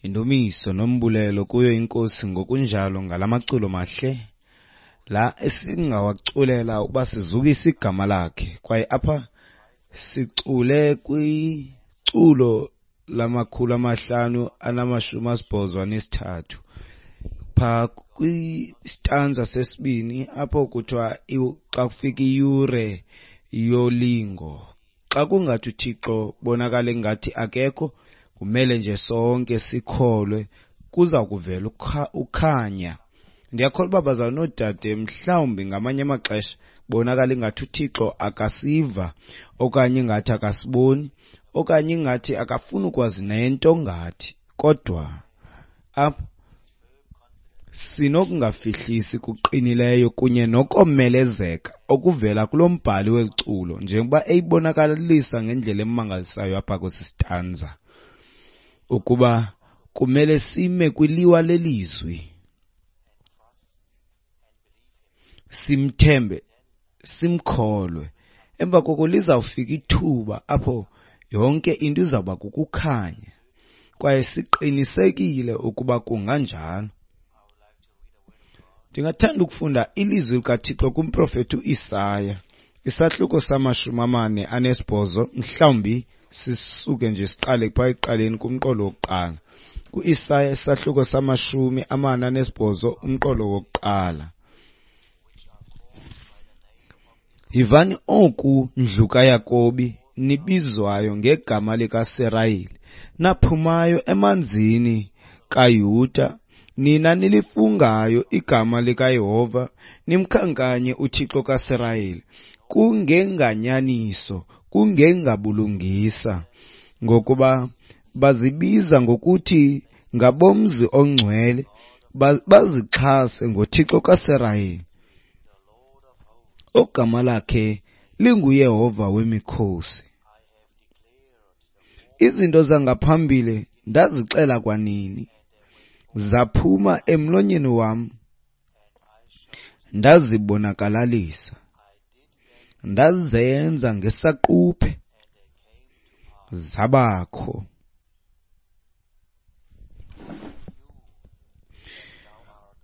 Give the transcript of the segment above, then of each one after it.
Indumiso nombulelo kuyo iNkosi ngokunjalo ngala maculo mahle la esingawaculela ukuba sizukise igama lakhe. Kwaye apha sicule kwiculo lama-583 pha kwistanza sesibini apho kuthiwa xa kufika iyure yolingo, xa kungathi uThixo bonakala engathi akekho, kumele nje sonke sikholwe kuza kuvela ukhanya. Ndiyakholwa uba bazalwane noodade, mhlawumbi ngamanye amaxesha bonakala ingathi uThixo akasiva, okanye ingathi akasiboni, okanye ingathi akafuni ukwazi nento ngathi. Kodwa apha sinokungafihlisi kuqinileyo kunye nokomelezeka okuvela kulo mbhali weli culo, njengoba eyibonakalisa ngendlela emangalisayo apha kwesi stanza, ukuba kumele sime kwiliwa lelizwi, simthembe, simkholwe. Emva koko lizawufika ithuba apho yonke into izawuba kukukhanya, kwaye siqinisekile ukuba kunganjalo. Ndingathanda ukufunda ilizwi likaThixo kumprofethi uIsaya, isahluko sama-48, mhlawumbi sisuke nje siqale phaa ekuqaleni kumqolo wokuqala. KuIsaya isahluko sama-48, umqolo wokuqala. Yivani oku, ndlu kaYakobi, nibizwayo ngegama likaSirayeli, naphumayo emanzini kaYuda, nina nilifungayo igama likaYehova, nimkhankanye uThixo kaSirayeli, kungenganyaniso, kungengabulungisa, ngokuba bazibiza ngokuthi ngabomzi ongcwele, bazixhase ngoThixo kaSirayeli, ogama lakhe linguYehova wemikhosi. Izinto zangaphambili ndazixela kwanini, zaphuma emlonyeni wam, ndazibonakalalisa, ndazenza ngesaquphe, zabakho.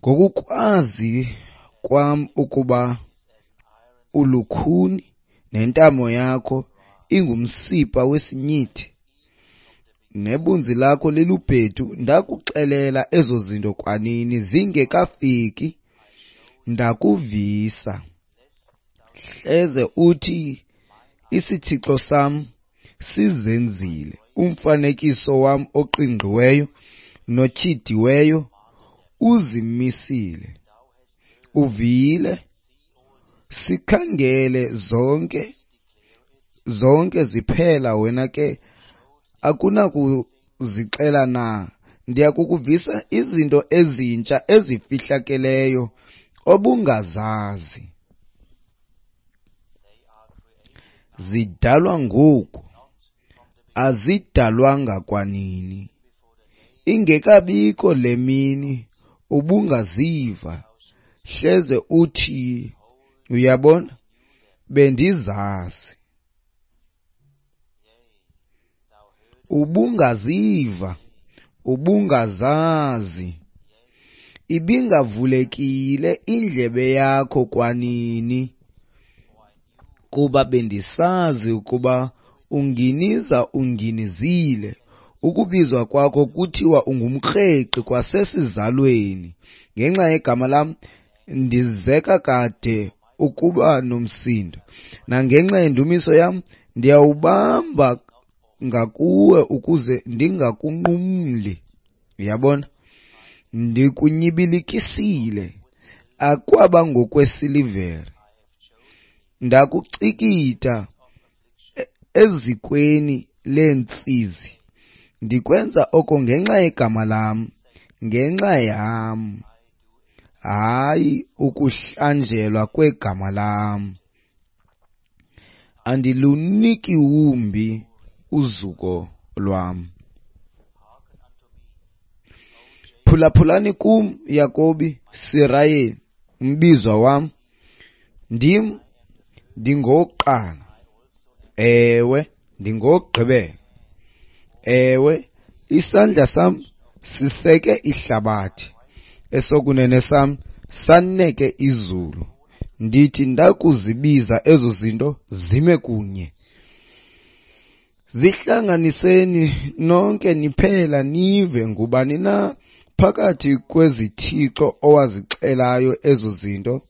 Ngokukwazi kwam ukuba ulukhuni nentamo yakho ingumsipa wesinyithi, nebunzi lakho lilubhedu, ndakuxelela ezo zinto kwanini zingekafiki, ndakuvisa. Hleze uthi, isithixo sam sizenzile, umfanekiso wam oqingqiweyo notyhidiweyo uzimisile. Uvile, sikhangele zonke ziphela, wena ke akunakuzixela na? Ndiyakukuvisa izinto ezintsha ezifihlakeleyo obungazazi. Zidalwa ngoku, azidalwanga kwanini. Ingekabikho le mini ubungaziva, hleze uthi, uyabona, bendizazi. Ubungaziva, ubungazazi. Ibingavulekile indlebe yakho kwanini, kuba bendisazi ukuba unginiza unginizile. Ukubizwa kwakho kuthiwa ungumkreqi kwasesizalweni. Ngenxa yegama lam ndizeka kade ukuba nomsindo, nangenxa yendumiso yam ndiyawubamba ngakuwe ukuze ndingakunqumli. Uyabona, ndikunyibilikisile akwaba ngokwesilivere, ndakucikida ezikweni leentsizi. Ndikwenza oko ngenxa yegama lam, ngenxa yam, hayi ukuhlanjelwa kwegama lam. Andiluniki wumbi uzuko lwam. Phulaphulani kum, Yakobi, Sirayeli, umbizwa wam. Ndim, ndingowokuqala, ewe, ndingowokugqibela. Ewe, isandla sam siseke ihlabathi, esokunene sam saneke izulu. Ndithi ndakuzibiza ezo zinto zime kunye. Zihlanganiseni nonke niphela nive, ngubani na phakathi kwezithixo owazixelayo ezo zinto?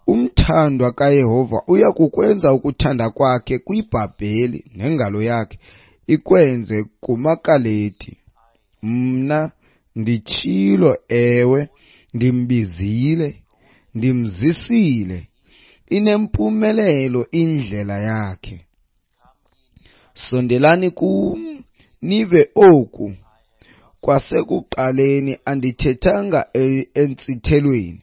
Umthandwa kaYehova uya kukwenza ukuthanda kwakhe kwiBhabheli, nengalo yakhe ikwenze kumaKaledi. Mna nditshilo, ewe, ndimbizile, ndimzisile, inempumelelo indlela yakhe. Sondelani kum, nive oku. Kwasekuqaleni andithethanga entsithelweni,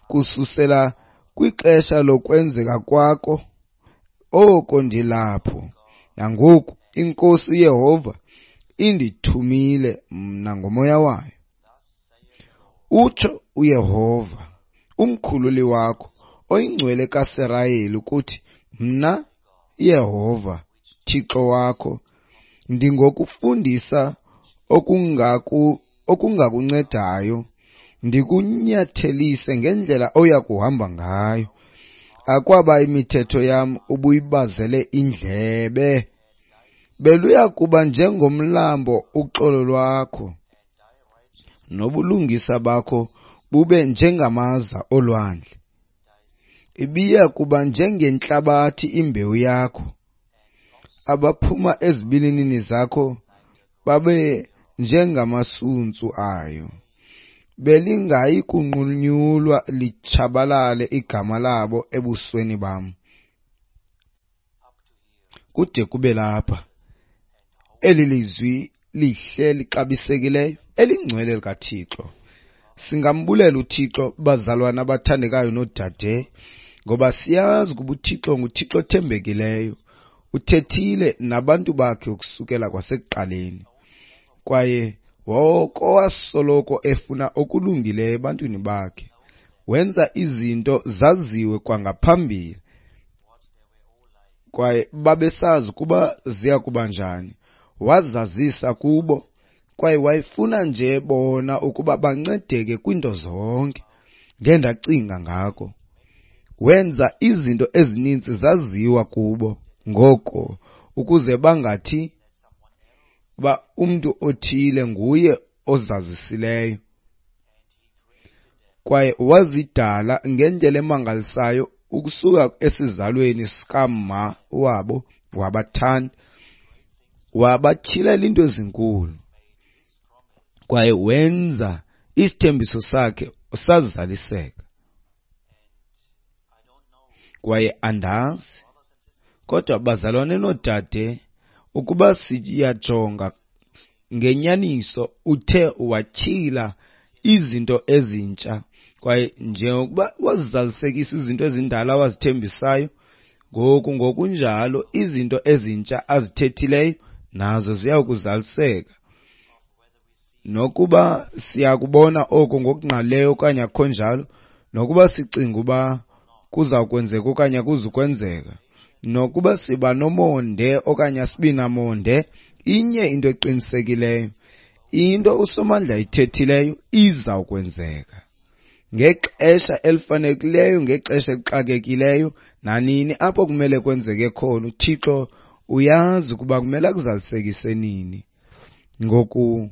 kususela kwixesha lokwenzeka kwako oko ndilapho. Nangoku iNkosi uYehova indithumile mna ngomoya wayo. Utsho uYehova, umkhululi wakho, oyingcwele kaSirayeli, ukuthi, mna Yehova, Thixo wakho, ndingokufundisa okungakuncedayo, ndikunyathelise ngendlela oya kuhamba ngayo. Akwaba imithetho yam ubuyibazele indlebe, beluya kuba njengomlambo uxolo lwakho, nobulungisa bakho bube njengamaza olwandle. Ibiya kuba njengentlabathi imbewu yakho, abaphuma ezibilinini zakho babe njengamasuntsu ayo. Belingayi kunqunyulwa litshabalale igama labo ebusweni bam. Kude kube lapha, eli lizwi lihle lixabisekileyo elingcwele likaThixo. Singambulela uThixo, bazalwana abathandekayo noodade, ngoba siyazi ukuba uThixo nguThixo othembekileyo. Uthethile nabantu bakhe ukusukela kwasekuqaleni, kwaye woko wasoloko efuna okulungileyo ebantwini bakhe. Wenza izinto zaziwe kwangaphambili, kwaye babesazi ukuba ziya kuba njani. Wazazisa kubo, kwaye wayefuna nje bona ukuba bancedeke kwiinto zonke. Ngendacinga ngako, wenza izinto ezininzi zaziwa kubo ngoko, ukuze bangathi uba umntu othile nguye ozazisileyo. Kwaye wazidala ngendlela emangalisayo ukusuka esizalweni sikama wabo, wabathanda, wabatyhilela into ezinkulu, kwaye wenza isithembiso sakhe sazaliseka. Kwaye andazi, kodwa bazalwane noodade, ukuba siyajonga ngenyaniso, uthe watyhila izinto ezintsha, kwaye njengokuba wazizalisekisa izinto ezindala wazithembisayo, ngoku ngokunjalo izinto ezintsha azithethileyo nazo ziya kuzaliseka. Nokuba siyakubona oko ngokungqalileyo okanye akukho njalo, nokuba sicinga uba kuza kwenzeka okanye akuzukwenzeka, nokuba siba nomonde okanye asibi namonde, inye into eqinisekileyo, into uSomandla ayithethileyo izawukwenzeka ngexesha elifanelekileyo, ngexesha elixakekileyo, nanini apho kumele kwenzeke khona. uThixo uyazi ukuba kumele akuzalisekise nini. Ngoku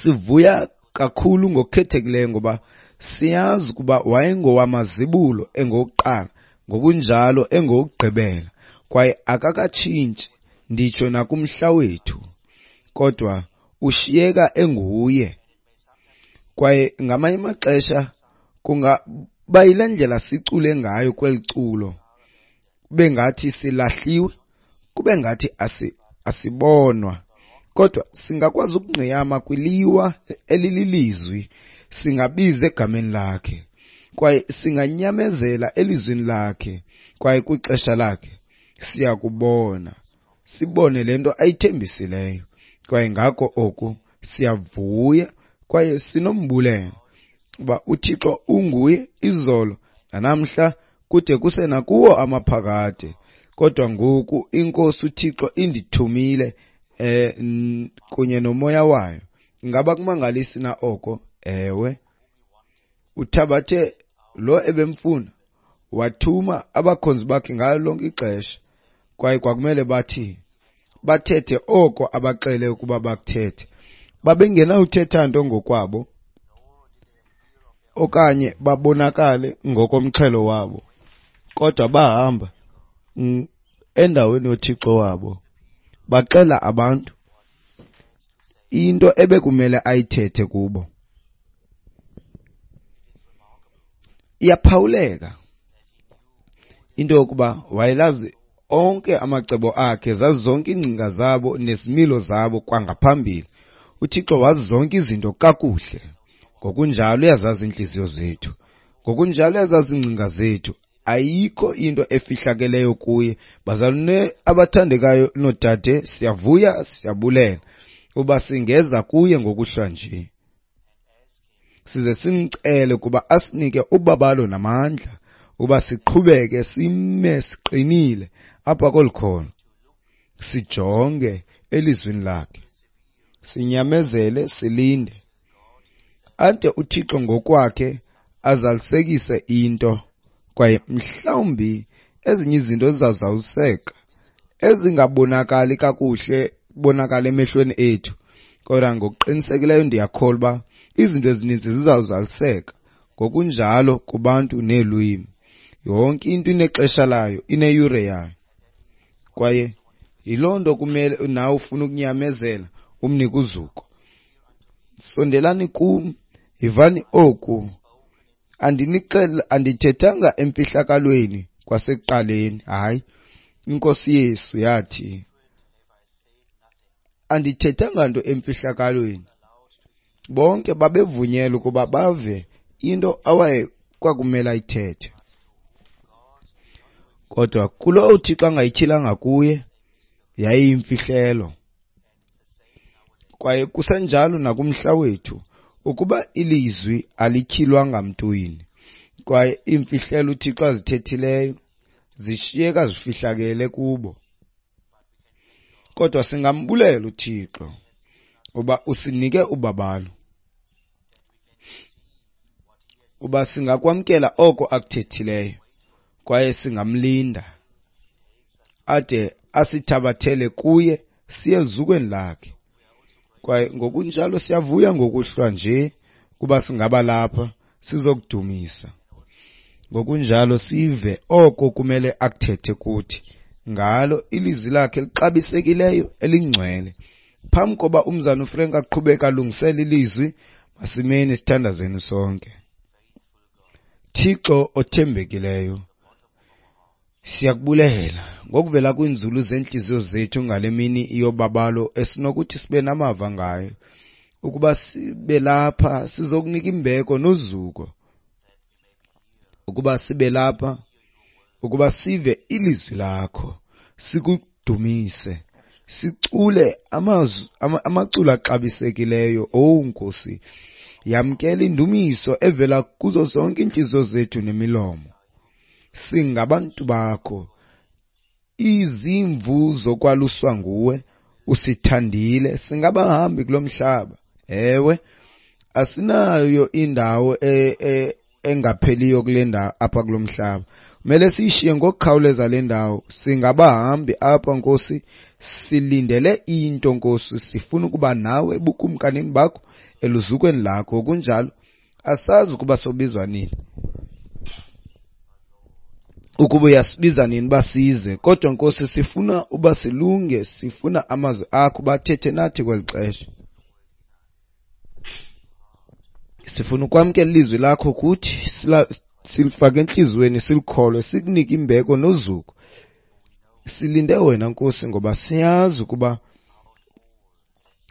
sivuya kakhulu ngokukhethekileyo ngoba siyazi ukuba wayengowamazibulo engowokuqala, ngokunjalo engowokugqibela, kwaye akakatshintshi nditsho nakumhla wethu, kodwa ushiyeka enguye. Kwaye ngamanye amaxesha kungaba yile ndlela sicule ngayo kweli culo, kube ngathi silahliwe, kube ngathi asibonwa, kodwa singakwazi ukungqiyama kwiliwa elililizwi, singabiza egameni lakhe, kwaye singanyamezela elizwini lakhe, kwaye kwixesha lakhe siyakubona, sibone le nto ayithembisileyo. Kwaye ngako oku siyavuya kwaye sinombulelo uba uThixo unguye izolo nanamhla kude kuse nakuwo amaphakade. Kodwa ngoku iNkosi uThixo indithumile kunye nomoya wayo. Ingaba kumangalisi na oko? Ewe. Uthabathe lo ebemfuna, wathuma abakhonzi bakhe ngalo lonke ixesha, kwaye kwakumele bathi bathethe oko abaxele ukuba bakuthethe. Babengenawuthetha nto ngokwabo okanye babonakale ngokomxhelo wabo, kodwa bahamba endaweni yoThixo wabo, baxela abantu into ebekumele ayithethe kubo. Iyaphawuleka into yokuba wayelazi onke amacebo akhe, zazi zonke iingcinga zabo nezimilo zabo kwangaphambili. UThixo wazi zonke izinto kakuhle. Ngokunjalo uyazazi iintliziyo zethu, ngokunjalo uyazazi iingcinga zethu. Ayikho into efihlakeleyo kuye. Bazalwane abathandekayo noodade, siyavuya, siyabulela uba singeza kuye ngokuhlwa nje, size simcele ukuba asinike ubabalo namandla uba siqhubeke sime siqinile apha kolu kholo, sijonge elizwini lakhe, sinyamezele, silinde ade uThixo ngokwakhe azalisekise into. Kwaye mhlawumbi ezinye izinto zizawuzaliseka ezingabonakali kakuhle kubonakala emehlweni ethu, kodwa ngokuqinisekileyo ndiyakholwa uba izinto ezininzi zizawuzaliseka ngokunjalo kubantu neelwimi. Yonke into inexesha layo, ineyure yayo. Kwaye yiloo nto kumele nawe ufuna ukunyamezela umnike uzuko. Sondelani kum, yivani oku. Andithethanga emfihlakalweni kwasekuqaleni. Hayi, iNkosi Yesu yathi andithethanga nto emfihlakalweni. Bonke babevunyelwe ukuba bave into awaye kwakumele ayithethe. Kodwa kulo uThixo angayityhilanga kuye yayiyimfihlelo. Kwaye kusenjalo nakumhla wethu, ukuba ilizwi alityhilwanga mntwini, kwaye iimfihlelo uThixo azithethileyo zishiyeka zifihlakele kubo. Kodwa singambulela uThixo uba usinike ubabalo, uba singakwamkela oko akuthethileyo, kwaye singamlinda ade asithabathele kuye siye eluzukweni lakhe. Kwaye ngokunjalo siyavuya ngokuhlwa nje kuba singaba lapha sizokudumisa. Ngokunjalo sive oko kumele akuthethe kuthi ngalo ilizwi lakhe elixabisekileyo elingcwele. Phambi koba umzana uFrank aqhubeka alungisele ilizwi, masimeni sithandazeni sonke. Thixo othembekileyo, siyakubulela ngokuvela kwiinzulu zeentliziyo zethu ngale mini yobabalo esinokuthi sibe namava ngayo, ukuba sibe lapha sizokunika imbeko nozuko, ukuba sibe lapha ukuba sive ilizwi lakho, sikudumise, sicule amazwi amaculo axabisekileyo. Owu Nkosi, yamkela indumiso evela kuzo zonke iintliziyo zethu nemilomo. Singabantu bakho, izimvu zokwaluswa nguwe, usithandile, singabahambi kulo mhlaba. Ewe, asinayo indawo engapheliyo kule ndawo apha kulo mhlaba. Kumele siyishiye ngokukhawuleza le ndawo. Singabahambi apha Nkosi, silindele into Nkosi, sifuna ukuba nawe ebukumkanini bakho, eluzukweni lakho. Kunjalo asazi ukuba sobizwa nini, ukuba uyasibiza nini uba size, kodwa Nkosi sifuna uba silunge, sifuna amazwi akho bathethe nathi kweli xesha. Sifuna ukwamkela ilizwi lakho kuthi, silifake entliziyweni, silikholwe, sikunike imbeko nozuko. Silinde wena Nkosi, ngoba siyazi ukuba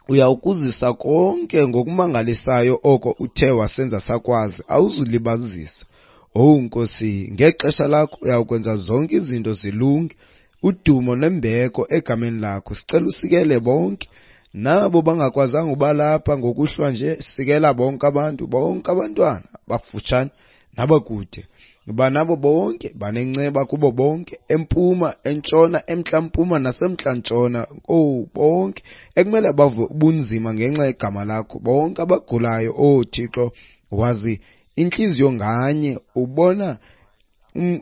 uyawukuzisa konke ngokumangalisayo oko uthe wasenza sakwazi, awuzulibazisa. Owu Nkosi, ngexesha lakho uyawukwenza zonke izinto zilunge, udumo nembeko egameni lakho. Sicela usikele bonke nabo bangakwazanga uba lapha ngokuhlwa nje, sikela bonke abantu, bonke abantwana abafutshane nabakude. Banabo bonke, banenceba kubo bonke, empuma, entshona, emntla-mpuma nasemntla-ntshona. Owu, bonke ekumele bave ubunzima ngenxa yegama lakho, bonke abagulayo. Owu Thixo, wazi intliziyo nganye, ubona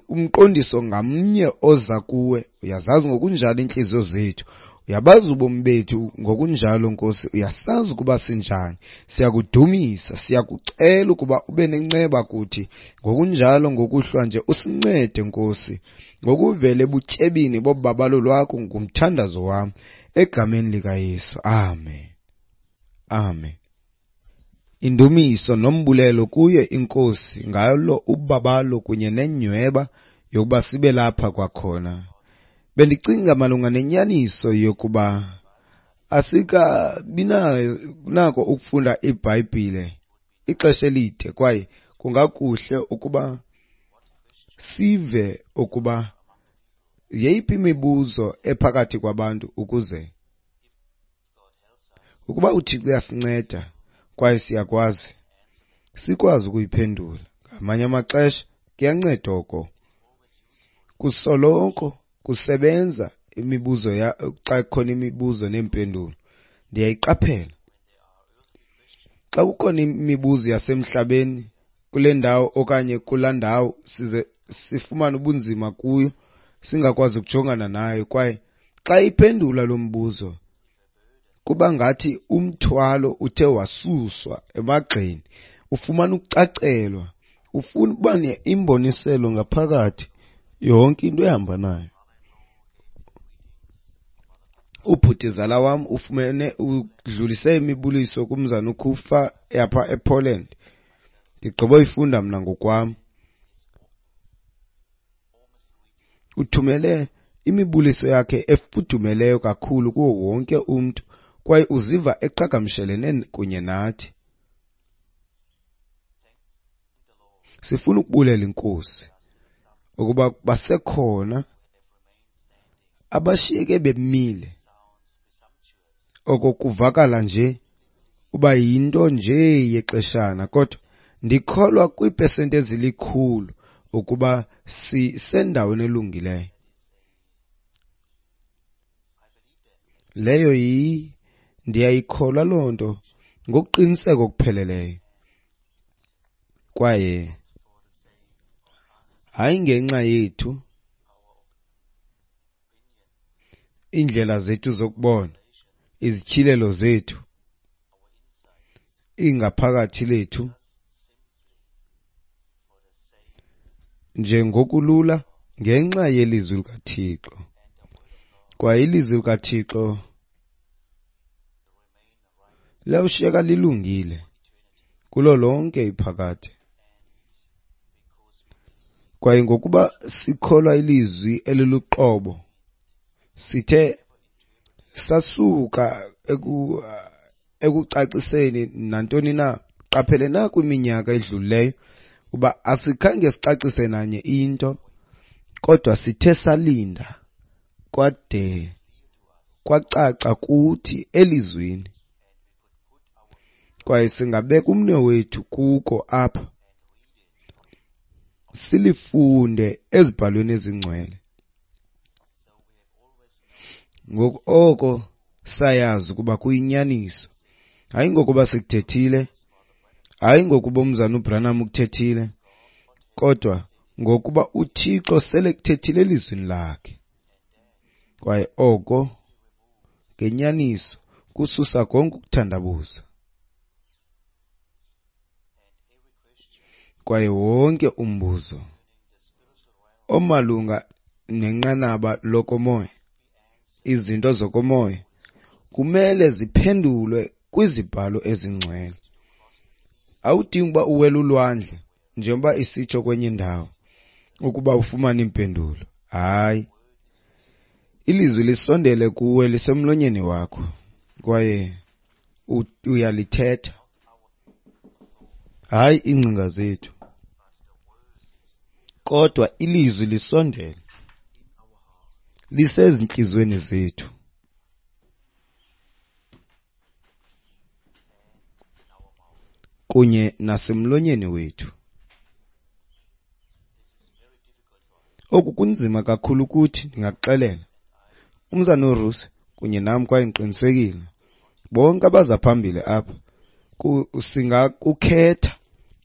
umqondiso ngamnye oza kuwe. Uyazazi ngokunjalo iintliziyo zethu, uyabazi ubomi bethu ngokunjalo, Nkosi. Uyasazi ukuba sinjani. Siyakudumisa, siyakucela ukuba ube nenceba kuthi ngokunjalo ngokuhlwa nje. Usincede, Nkosi, ngokuvela ebutyebini bobabalo lwakho. Ngumthandazo wam egameni likaYesu. Amen. Amen. Indumiso nombulelo kuye iNkosi ngalo ubabalo kunye nenyweba yokuba sibe lapha kwakhona. Bendicinga malunga nenyaniso yokuba asikabi nako ukufunda iBhayibhile ixesha elide, kwaye kungakuhle ukuba sive ukuba yeyiphi imibuzo ephakathi kwabantu, ukuze ukuba uThixo uyasinceda kwaye siyakwazi, sikwazi ukuyiphendula. Ngamanye amaxesha kuyanceda oko. Kusoloko kusebenza imibuzo ya xa kukhona imibuzo neempendulo. Ndiyayiqaphela xa kukhona imibuzo yasemhlabeni kule ndawo okanye kulaa ndawo, size sifumane ubunzima kuyo, singakwazi ukujongana nayo. Kwaye xa iphendula lo mbuzo, kuba ngathi umthwalo uthe wasuswa emagxeni, ufumana ukucacelwa, ufuna ukuba imboniselo ngaphakathi yonke into ehamba nayo. Ubhutizala wam ufumene udlulise imibuliso kumzana uKufa yapha ePoland. Ndigqiboyifunda mna ngokwam. Uthumele imibuliso yakhe efudumeleyo kakhulu kuwo wonke umntu, kwaye uziva eqhagamshelene kunye nathi. Sifuna ukubulela iNkosi ukuba basekhona abashiyeke bemile. Oko kuvakala nje uba yinto nje yexeshana, kodwa ndikholwa kwiipesenti ezilikhulu ukuba sisendaweni elungileyo. Leyo yi ndiyayikholwa loo nto ngokuqiniseka okupheleleyo. Kwaye hayi ngenxa yethu, iindlela zethu zokubona, izityhilelo zethu, ingaphakathi lethu, nje ngokulula ngenxa yelizwi likaThixo. Kwaye ilizwi likaThixo liyawushiyeka lilungile kulo lonke iphakade. Kwaye ngokuba sikholwa ilizwi eliluqobo, sithe sasuka ekucaciseni nantoni na. Qaphele na kwiminyaka edlulileyo uba asikhange sicacise nanye into, kodwa sithe salinda kwade kwacaca kuthi elizwini, kwaye singabeka umnwe wethu kuko apha, silifunde ezibhalweni ezingcwele. Ngoku oko sayazi ukuba kuyinyaniso, hayi ngokuba sikuthethile, hayi ngokuba umzana uBranham ukuthethile, kodwa ngokuba uThixo sele kuthethile elizwini lakhe. Kwaye oko ngenyaniso kususa konke ukuthandabuza. Kwaye wonke umbuzo omalunga nenqanaba lokomoya, izinto zokomoya, kumele ziphendulwe kwizibhalo ezingcwele. Awudingi uba uwele ulwandle, njengoba isitsho kwenye indawo, ukuba ufumane impendulo. Hayi, ilizwi lisondele kuwe, lisemlonyeni wakho, kwaye uyalithetha. Hayi iingcinga zethu, kodwa ilizwi lisondele, lisezintliziyweni zethu kunye nasemlonyeni wethu. Oku kunzima kakhulu kuthi, ndingakuxelela. Umzana uRusi kunye nam, kwaye ndiqinisekile bonke abaza phambili apha, singakukhetha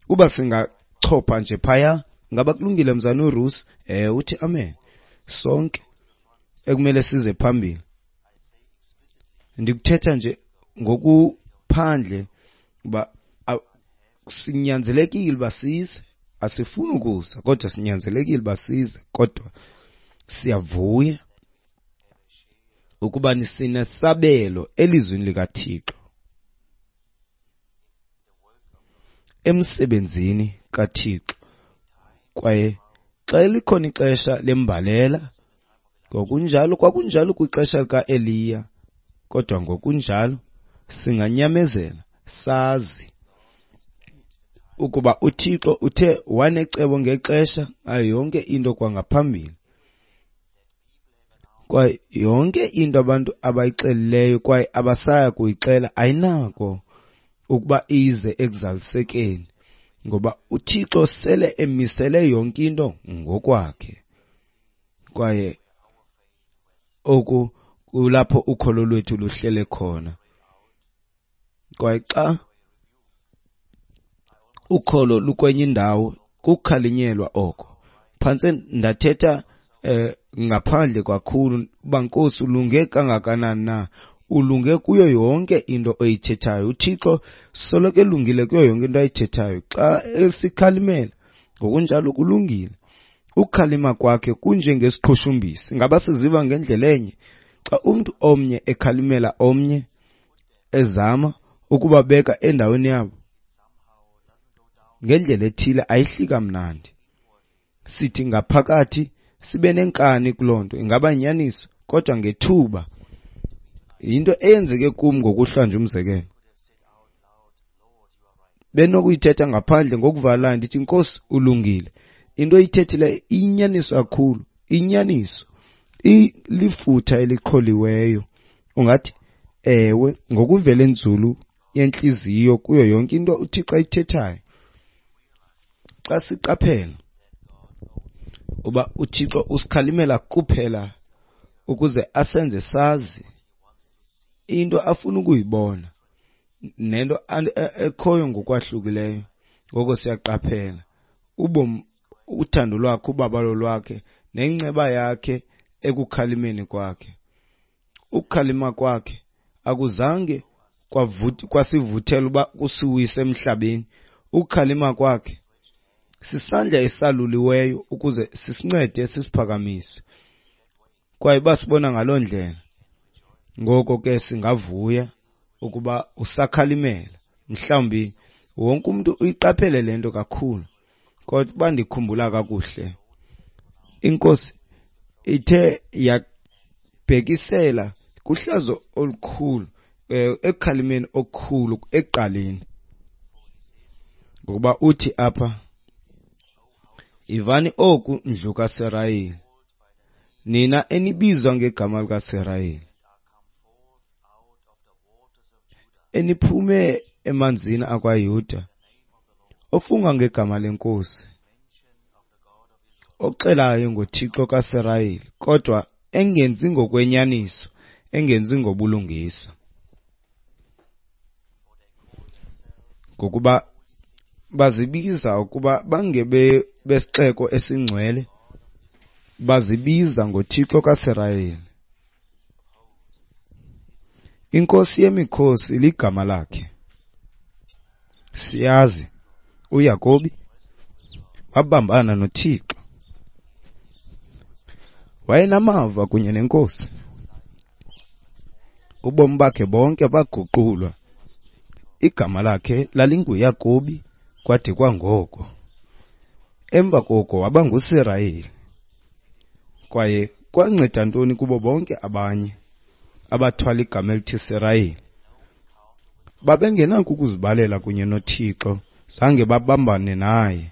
uba singachopha nje phaya. Ngaba kulungile, mzana uRusi? Uthi amen. Sonke ekumele size phambili. Ndikuthetha nje ngokuphandle uba sinyanzelekile uba size. Asifuni ukuza, kodwa sinyanzelekile uba size. Kodwa siyavuya ukuba sinesabelo elizwini likaThixo, emsebenzini kaThixo. Kwaye xa likhona ixesha lembalela, ngokunjalo kwakunjalo kwixesha likaEliya, kodwa ngokunjalo singanyamezela sazi ukuba uThixo uthe wanecebo ngexesha ngayo yonke into kwangaphambili. Kwaye yonke into abantu abayixelileyo kwaye abasaya kuyixela ayinako ukuba ize ekuzalisekeni, ngoba uThixo sele emisele yonke into ngokwakhe. Kwaye oku kulapho ukholo lwethu luhlele khona. Kwaye xa ukholo lukwenye indawo, kukhalinyelwa oko. Phantse ndathetha ngaphandle kakhulu uba Nkosi ulunge kangakanani na, ulunge kuyo yonke into oyithethayo. UThixo soloko elungile kuyo yonke into ayithethayo. Xa esikhalimela ngokunjalo kulungile. Ukukhalima kwakhe kunjengesiqhushumbisi. Ngaba siziva ngendlela enye? Xa umntu omnye ekhalimela omnye, ezama ukubabeka endaweni yabo ngendlela ethile, ayihli kamnandi. Sithi ngaphakathi sibe nenkani kuloo nto, ingaba yinyaniso, kodwa ngethuba yinto eyenzeke kum ngokuhlwa nje. Umzekelo, benokuyithetha ngaphandle ngokuvalelayo ndithi, Nkosi ulungile, into oyithethileyo iyinyaniso kakhulu, inyaniso ilifutha eliqholiweyo. Ungathi ewe ngokuvela enzulu yentliziyo kuyo yonke into uThixo ayithethayo. Xa siqaphela uba uThixo usikhalimela kuphela ukuze asenze sazi into afuna ukuyibona nento ekhoyo ngokwahlukileyo, ngoko siyaqaphela ubomi, uthando lwakhe, ubabalo lwakhe nenceba yakhe ekukhalimeni kwakhe. Ukukhalima kwakhe akuzange kwasivuthela uba kusiwise emhlabeni. Ukukhalima kwakhe sisandla esaluliweyo ukuze sisincede sisiphakamise. Kwaye basibona ngaloo ndlela, ngoko ke singavuya ukuba usakhalimela. Mhlawumbi wonke umuntu uyiqaphele le nto kakhulu, kodwa uba ndikhumbula kakuhle, iNkosi ithe yabhekisela kuhlazo olukhulu, ekukhalimeni okukhulu ekuqaleni. Ngokuba uthi apha, ivani oku ndlu kaSirayeli, nina enibizwa ngegama likaSirayeli, eniphume emanzini akwaYuda, ofunga ngegama leNkosi, oxelayo ngoThixo kaSirayeli, kodwa engenzi ngokwenyaniso, engenzi ngobulungisa. Ngokuba bazibiza ukuba bangebe besixeko esingcwele, bazibiza ngoThixo kaSirayeli. INkosi yemikhosi ligama lakhe. Siyazi uYakobi wabambana noThixo, wayenamava kunye neNkosi. Ubomi bakhe bonke baguqulwa. Igama lakhe lalinguYakobi kwade kwangoko. Emva koko waba nguSirayeli. Kwaye kwanceda ntoni kubo bonke abanye abathwala igama elithi Sirayeli? Babengenako ukuzibalela kunye noThixo, zange babambane naye,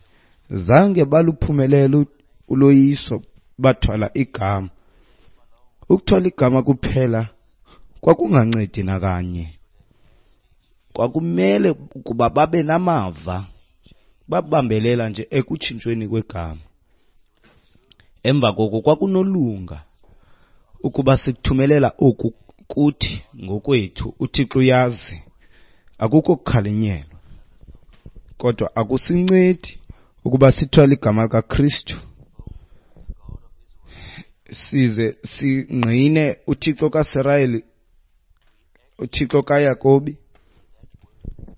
zange baluphumelele uloyiso, bathwala igama. Ukuthwala igama kuphela kwakungancedi nakanye. Kwakumele ukuba babe namava, babambelela nje ekutshintshweni kwegama. Emva koko kwakunolunga ukuba sikuthumelela oku kuthi ngokwethu. UThixo uyazi, akukho kukhalinyelwa, kodwa akusincedi ukuba sithwale igama likaKristu size singqine uThixo kaSirayeli, uThixo kaYakobi.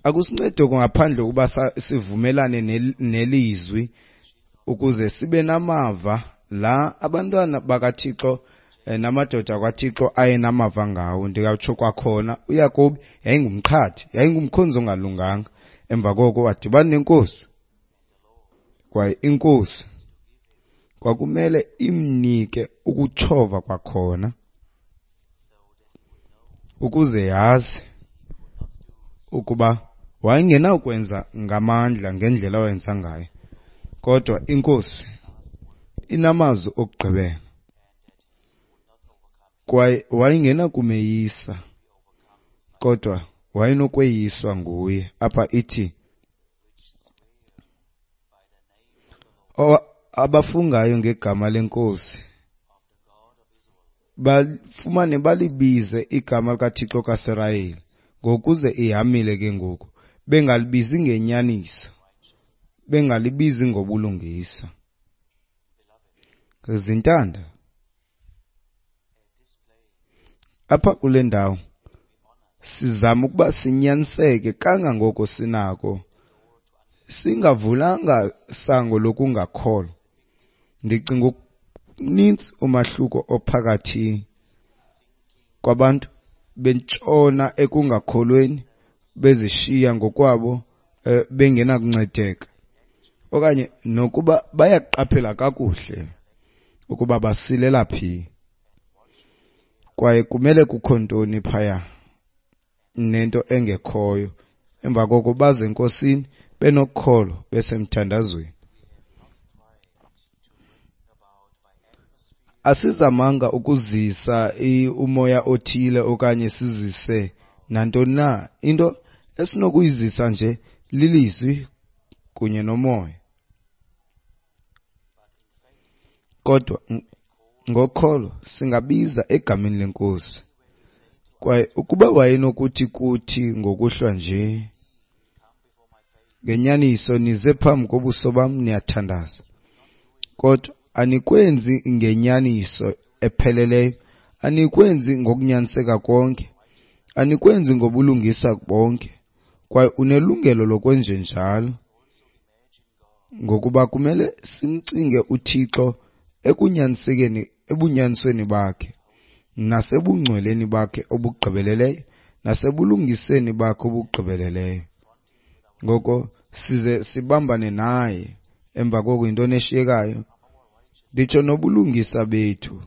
Akusincedi oku ngaphandle ukuba sivumelane nelizwi ukuze sibe namava la abantwana bakaThixo namadoda kaThixo ayenamava ngawo. Ndingatsho kwakhona, uYakobi yayingumqhathi, yayingumkhonzi ongalunganga. Emva koko wadibana nenkosi, kwaye inkosi kwakumele imnike ukutshova kwakhona ukuze yazi ukuba wayengenakwenza ngamandla ngendlela awenza ngayo, kodwa inkosi inamazwi okugqibela kwaye wayengenakumeyisa, kodwa wayenokweyiswa nguye. Apha ithi abafungayo ngegama lenkosi bafumane balibize igama likaThixo kaSirayeli, ngokuze ihamile ke ngoku, bengalibizi ngenyaniso, bengalibizi ngobulungisa. Zintanda, apha kule ndawo sizama ukuba sinyaniseke kangangoko sinako, singavulanga sango lokungakholwa. Ndicinga okuninzi umahluko ophakathi kwabantu bentshona ekungakholweni, bezishiya ngokwabo bengenakuncedeka, okanye nokuba bayaqaphela kakuhle ukuba basilela phi kwaye kumele kukho ntoni phaya nento engekhoyo. Emva koko baze enkosini benokholo, besemthandazweni. Asizamanga ukuzisa umoya othile okanye sizise nantoni na. Into esinokuyizisa nje lilizwi kunye nomoya. Kodwa ngokholo singabiza egameni lenkosi. Kwaye ukuba wayenokuthi kuthi ngokuhlwa nje, ngenyaniso nize phambi kobuso bam niyathandaza, kodwa anikwenzi ngenyaniso epheleleyo, anikwenzi ngokunyaniseka konke, anikwenzi ngobulungisa bonke, kwaye unelungelo lokwenjenjalo, ngokuba kumele simcinge uThixo ekunyanisekeni, ebunyanisweni bakhe, nasebungcweleni bakhe obugqibeleleyo, nasebulungiseni bakhe obugqibeleleyo. Ngoko size sibambane naye. Emva koko yintoni eshiyekayo? Nditsho nobulungisa bethu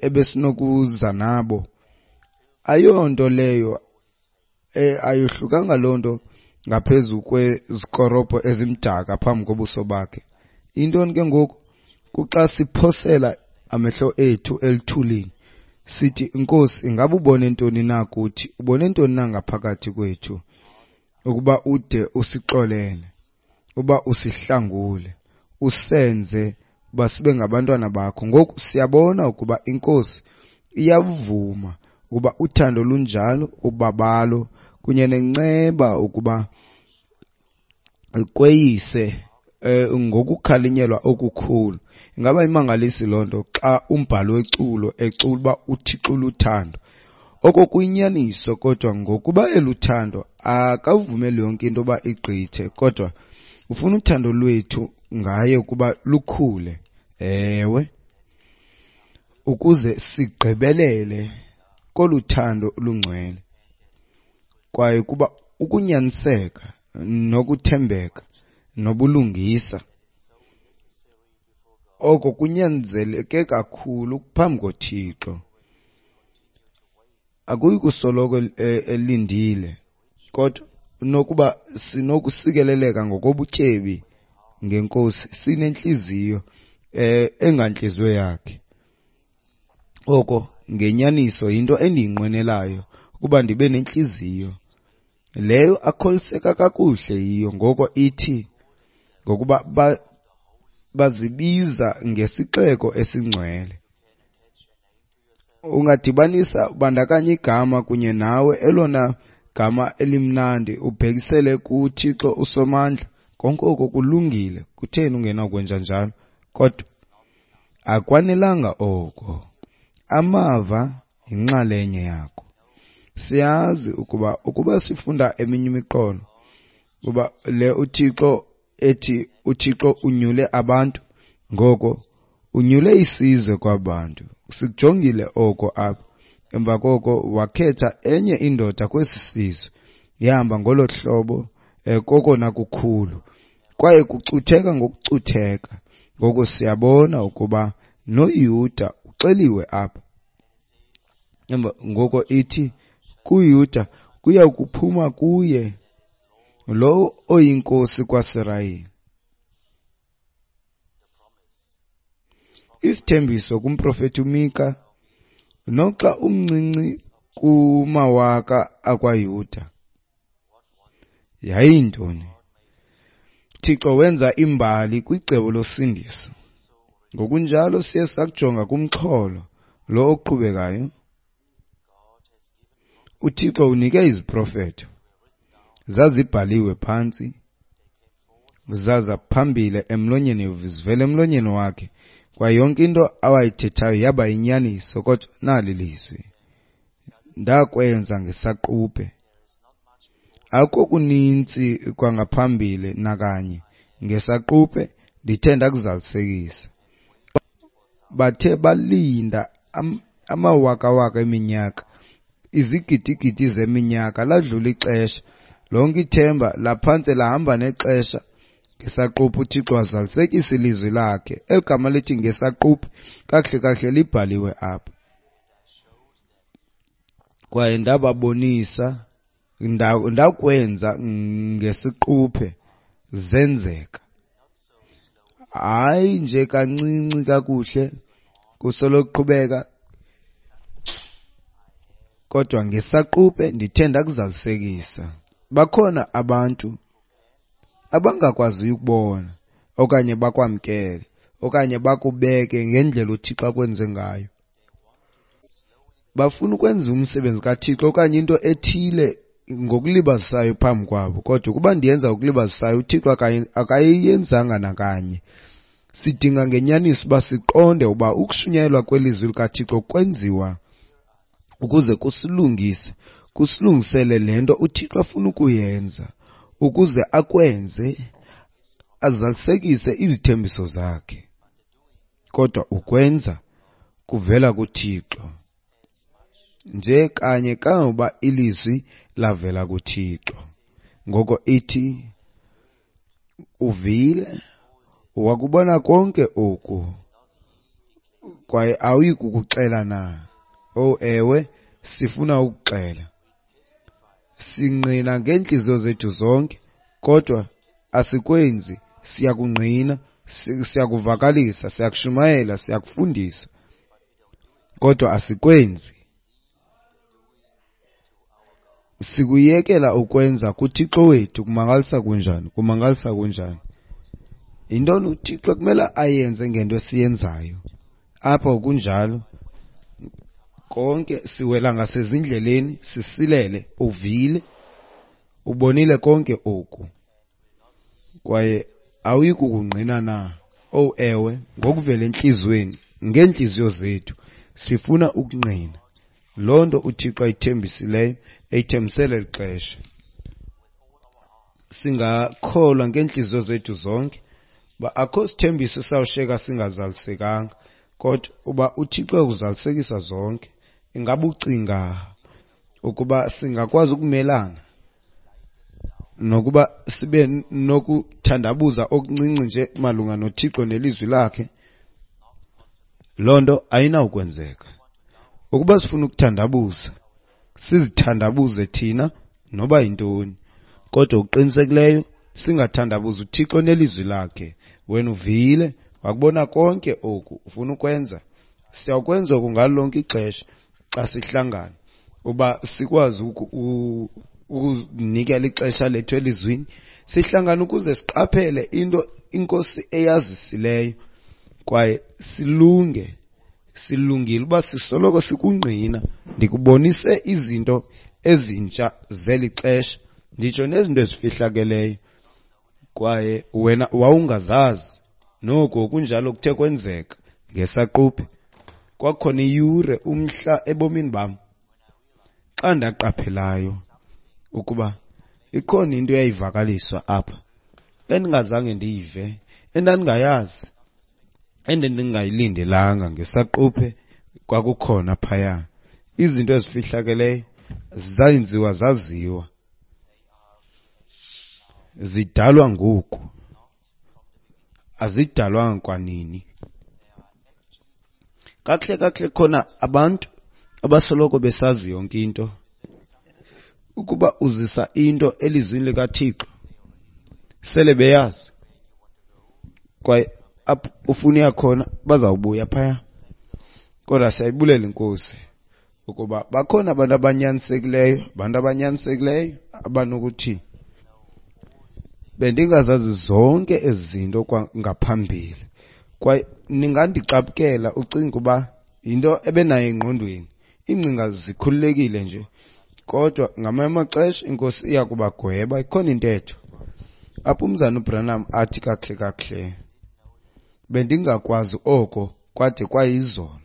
ebesinokuza nabo, ayonto leyo, ayohlukanga loo nto ngaphezu kwezikorobho ezimdaka phambi kobuso bakhe. Intoni ke ngoku? Kuxa siphosela amehlo ethu elithulini sithi, Nkosi, ingaba ubone ntoni na kuthi? Ubone ntoni na ngaphakathi kwethu ukuba ude usixolele, uba usihlangule, usenze uba sibe ngabantwana bakho? Ngoku siyabona ukuba inkosi iyavuma ukuba uthando lunjalo, ubabalo kunye nenceba ukuba kweyise ngokukhalinyelwa okukhulu. Ingaba imangalisi loo nto xa umbhalo weculo ecula uba uThixo luthando? Oko kuyinyaniso, kodwa ngokuba eluthando akavumeli yonke into uba igqithe, kodwa ufuna uthando lwethu ngaye ukuba lukhule, ewe, ukuze sigqibelele kolu thando lungcwele, kwaye kuba ukunyaniseka nokuthembeka nobulungisa oko kunyanzeleke kakhulu phambi koThixo. Akuyi kusoloko elindile, kodwa nokuba sinokusikeleleka ngokobutyebi ngenkosi, sinentliziyo engantliziyo yakhe. Oko ngenyaniso yinto endiyinqwenelayo, ukuba ndibe nentliziyo leyo akholiseka kakuhle yiyo. Ngoko ithi ngokuba bazibiza ngesixeko esingcwele. Ungadibanisa ubandakanya igama kunye nawe, elona gama elimnandi, ubhekisele kuThixo uSomandla. Konke oko kulungile. Kutheni ungenakwenza njalo? Kodwa akwanelanga oko. Amava yinxalenye yako. Siyazi ukuba sifunda eminye imiqolo, kuba le uThixo ethi uThixo unyule abantu, ngoko unyule isizwe kwabantu. Sikujongile oko apha. Emva koko wakhetha enye indoda kwesi sizwe. Yahamba ngolo hlobo kokona kukhulu, kwaye kucutheka ngokucutheka. Ngoko siyabona ukuba noYuda uxeliwe apha. Emva ngoko ithi kuYuda kuya kuphuma kuye lowo oyinkosi kwaSirayeli. Isithembiso kumprofeti uMika, noxa umncinci kumawaka akwaYuda, yayintoni? Thixo wenza imbali kwicebo losindiso. Ngokunjalo siye sakujonga kumxholo lo oqhubekayo. UThixo unike iziprofeto, zazibhaliwe phantsi, zaza phambili emlonyeni, zivela emlonyeni wakhe, kwaye yonke into awayithethayo yaba yinyaniso. Kodwa nali lizwi, ndakwenza ngesaquphe. Akukho kuninzi kwangaphambili nakanye, ngesaquphe ndithe ndakuzalisekisa. Bathe balinda amawakawaka eminyaka, izigidigidi zeminyaka, ladlula ixesha, lonke ithemba laphantse lahamba nexesha. Ngesaquphe uThixo wazalisekisa ilizwi lakhe. Eli gama lithi ngesaquphe kakuhle kakuhle libhaliwe apha. Kwaye ndababonisa, ndakwenza ngesiquphe, zenzeka. Hayi nje kancinci kakuhle, kusolokuqhubeka, kodwa ngesaquphe ndithe ndakuzalisekisa. Bakhona abantu abangakwaziyo ukubona okanye bakwamkele okanye bakubeke ngendlela uThixo akwenze ngayo. Bafuna ukwenza umsebenzi kaThixo okanye into ethile ngokulibazisayo phambi kwabo, kodwa ukuba ndiyenza ngokulibazisayo, uThixo akayiyenzanga nakanye. Sidinga ngenyaniso uba siqonde uba ukushunyayelwa kwelizwi likaThixo kwenziwa ukuze kusilungise, kusilungisele le nto uThixo afuna ukuyenza, ukuze akwenze azalisekise izithembiso zakhe. Kodwa ukwenza kuvela kuThixo, nje kanye kangangokuba ilizwi lavela kuThixo. Ngoko ithi, uvile, wakubona konke oku, kwaye awuyi kukuxela na? Oh ewe, sifuna ukuxela. Singqina ngeentliziyo zethu zonke, kodwa asikwenzi. Siyakungqina, siyakuvakalisa, siyakushumayela, siyakufundisa, kodwa asikwenzi. Sikuyekela ukwenza kuThixo wethu. Kumangalisa kunjani? Kumangalisa kunjani? Yintoni uThixo kumele ayenze ngento esiyenzayo? Apha kunjalo konke, siwela ngasezindleleni, sisilele. Uvile, ubonile konke oku, kwaye awuyi kukungqina na? Oh ewe, ngokuvela entliziyweni, ngeentliziyo zethu sifuna ukungqina loo nto uThixo ayithembisileyo, eyithembisele eli xesha. Singakholwa ngeentliziyo zethu zonke uba akho sithembiso sawushiyeka singazalisekanga, kodwa uba uThixo uyakuzalisekisa zonke. Ingaba ucinga ukuba singakwazi ukumelana nokuba sibe nokuthandabuza okuncinci nje malunga noThixo nelizwi lakhe? Loo nto ayinawukwenzeka. Ukuba sifuna ukuthandabuza, sizithandabuze thina noba yintoni, kodwa okuqinisekileyo singathandabuzi uThixo nelizwi lakhe. Wena uvile, wakubona konke oku, ufuna ukwenza. Siyakwenza oku ngalo lonke ixesha xa sihlangana, uba sikwazi ukuzinikela ixesha lethu elizwini, Sihlangana ukuze siqaphele into iNkosi eyazisileyo kwaye silunge. Silungile uba sisoloko sikungqina. Ndikubonise izinto ezintsha zeli xesha, nditsho nezinto ezifihlakeleyo, kwaye wena wawungazazi. Noko kunjalo kuthe kwenzeka ngesaquphe. Kwakhona iyure, umhla ebomini bam, xa ndaqaphelayo ukuba ikhona into eyayivakaliswa apha endingazange ndiyive, endandingayazi, endendingayilindelanga. Ngesaquphe kwakukhona phaya izinto ezifihlakeleyo zayenziwa zaziwa, zidalwa ngoku, azidalwanga kwanini. Kakuhle kakuhle khona abantu abasoloko besazi yonke into. Ukuba uzisa into elizwini likaThixo, sele beyazi, kwaye apho ufuna uya khona bazawubuya phaya. Kodwa siyayibulela iNkosi ukuba bakhona abantu abanyanisekileyo, abantu abanyanisekileyo abanokuthi bendingazazi zonke ezi zinto kwangaphambili. Kwaye ningandicaphukela ucinga uba yinto ebenayo engqondweni, iingcinga zikhululekile nje, kodwa ngamanye amaxesha iNkosi iya kubagweba. Ikhona intetho apho umzana uBranham athi kakuhle kakuhle, bendingakwazi oko kwade kwayizolo.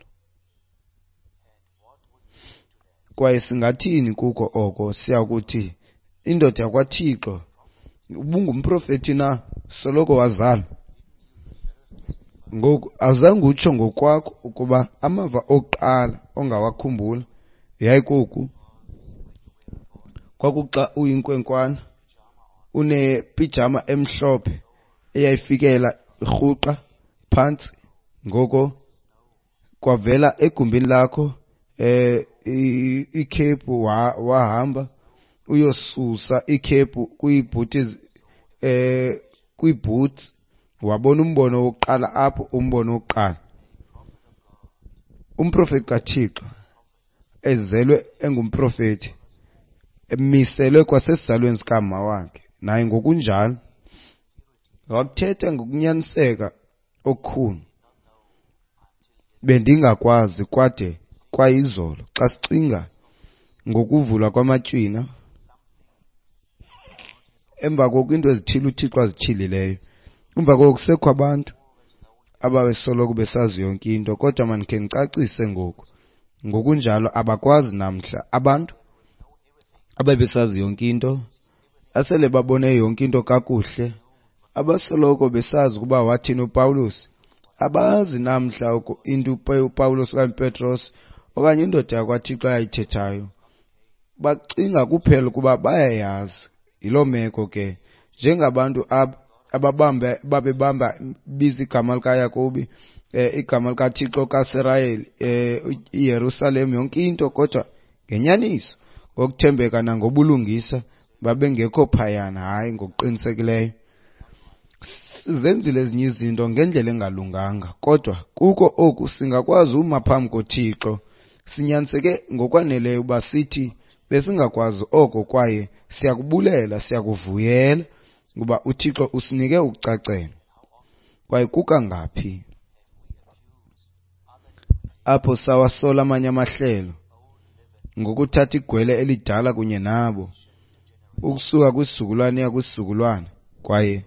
Kwaye singathini kuko oko? Siyakuthi indoda yakwaThixo, ubungumprofethi na soloko wazalwa? Ngoku azange utsho ngokwakho ukuba amava okuqala ongawakhumbula yayikoku, kwakuxa uyinkwenkwana unepijama emhlophe eyayifikela irhuqa phantsi, ngoko kwavela egumbini lakho ikhephu, wahamba uyosusa ikhephu kwiibhuti, kwiiboots, wabona umbono wokuqala apho, umbono wokuqala. Umprofeti kaThixo ezelwe engumprofeti, emiselwe kwasesizalweni sikama wakhe, naye ngokunjalo wakuthetha ngokunyaniseka okukhulu. Bendingakwazi kwade kwayizolo. Xa sicinga ngokuvulwa kwamatywina, emva koko iinto ezithile uThixo azityhilileyo, emva koko kusekho abantu ababesoloko besazi yonke into. Kodwa mandikhe ndicacise ngoku, ngokunjalo abakwazi namhla abantu ababesazi yonke into, asele babone yonke into kakuhle, abasoloko besazi ukuba wathini uPawulos. Abazi namhla into uPawulos okanye uPetros okanye indoda yakwaThixo ayithethayo. Bacinga kuphela ukuba bayayazi. Yiloo meko ke, njengabantu ababamba babebamba biza igama likaYakobi, igama likaThixo kaSirayeli, iYerusalem, yonke into, kodwa ngenyaniso, ngokuthembeka nangobulungisa babengekho phayana. Hayi, ngokuqinisekileyo sizenzile ezinye izinto ngendlela engalunganga, kodwa kuko oku singakwazi uma phambi koThixo sinyaniseke ngokwaneleyo uba sithi besingakwazi oko, kwaye siyakubulela, siyakuvuyela ukuba uThixo usinike ukucacela. Kwaye kukangaphi apho sawasola amanye amahlelo ngokuthatha igwele elidala kunye nabo ukusuka kwisizukulwane iya kwisizukulwane. Kwaye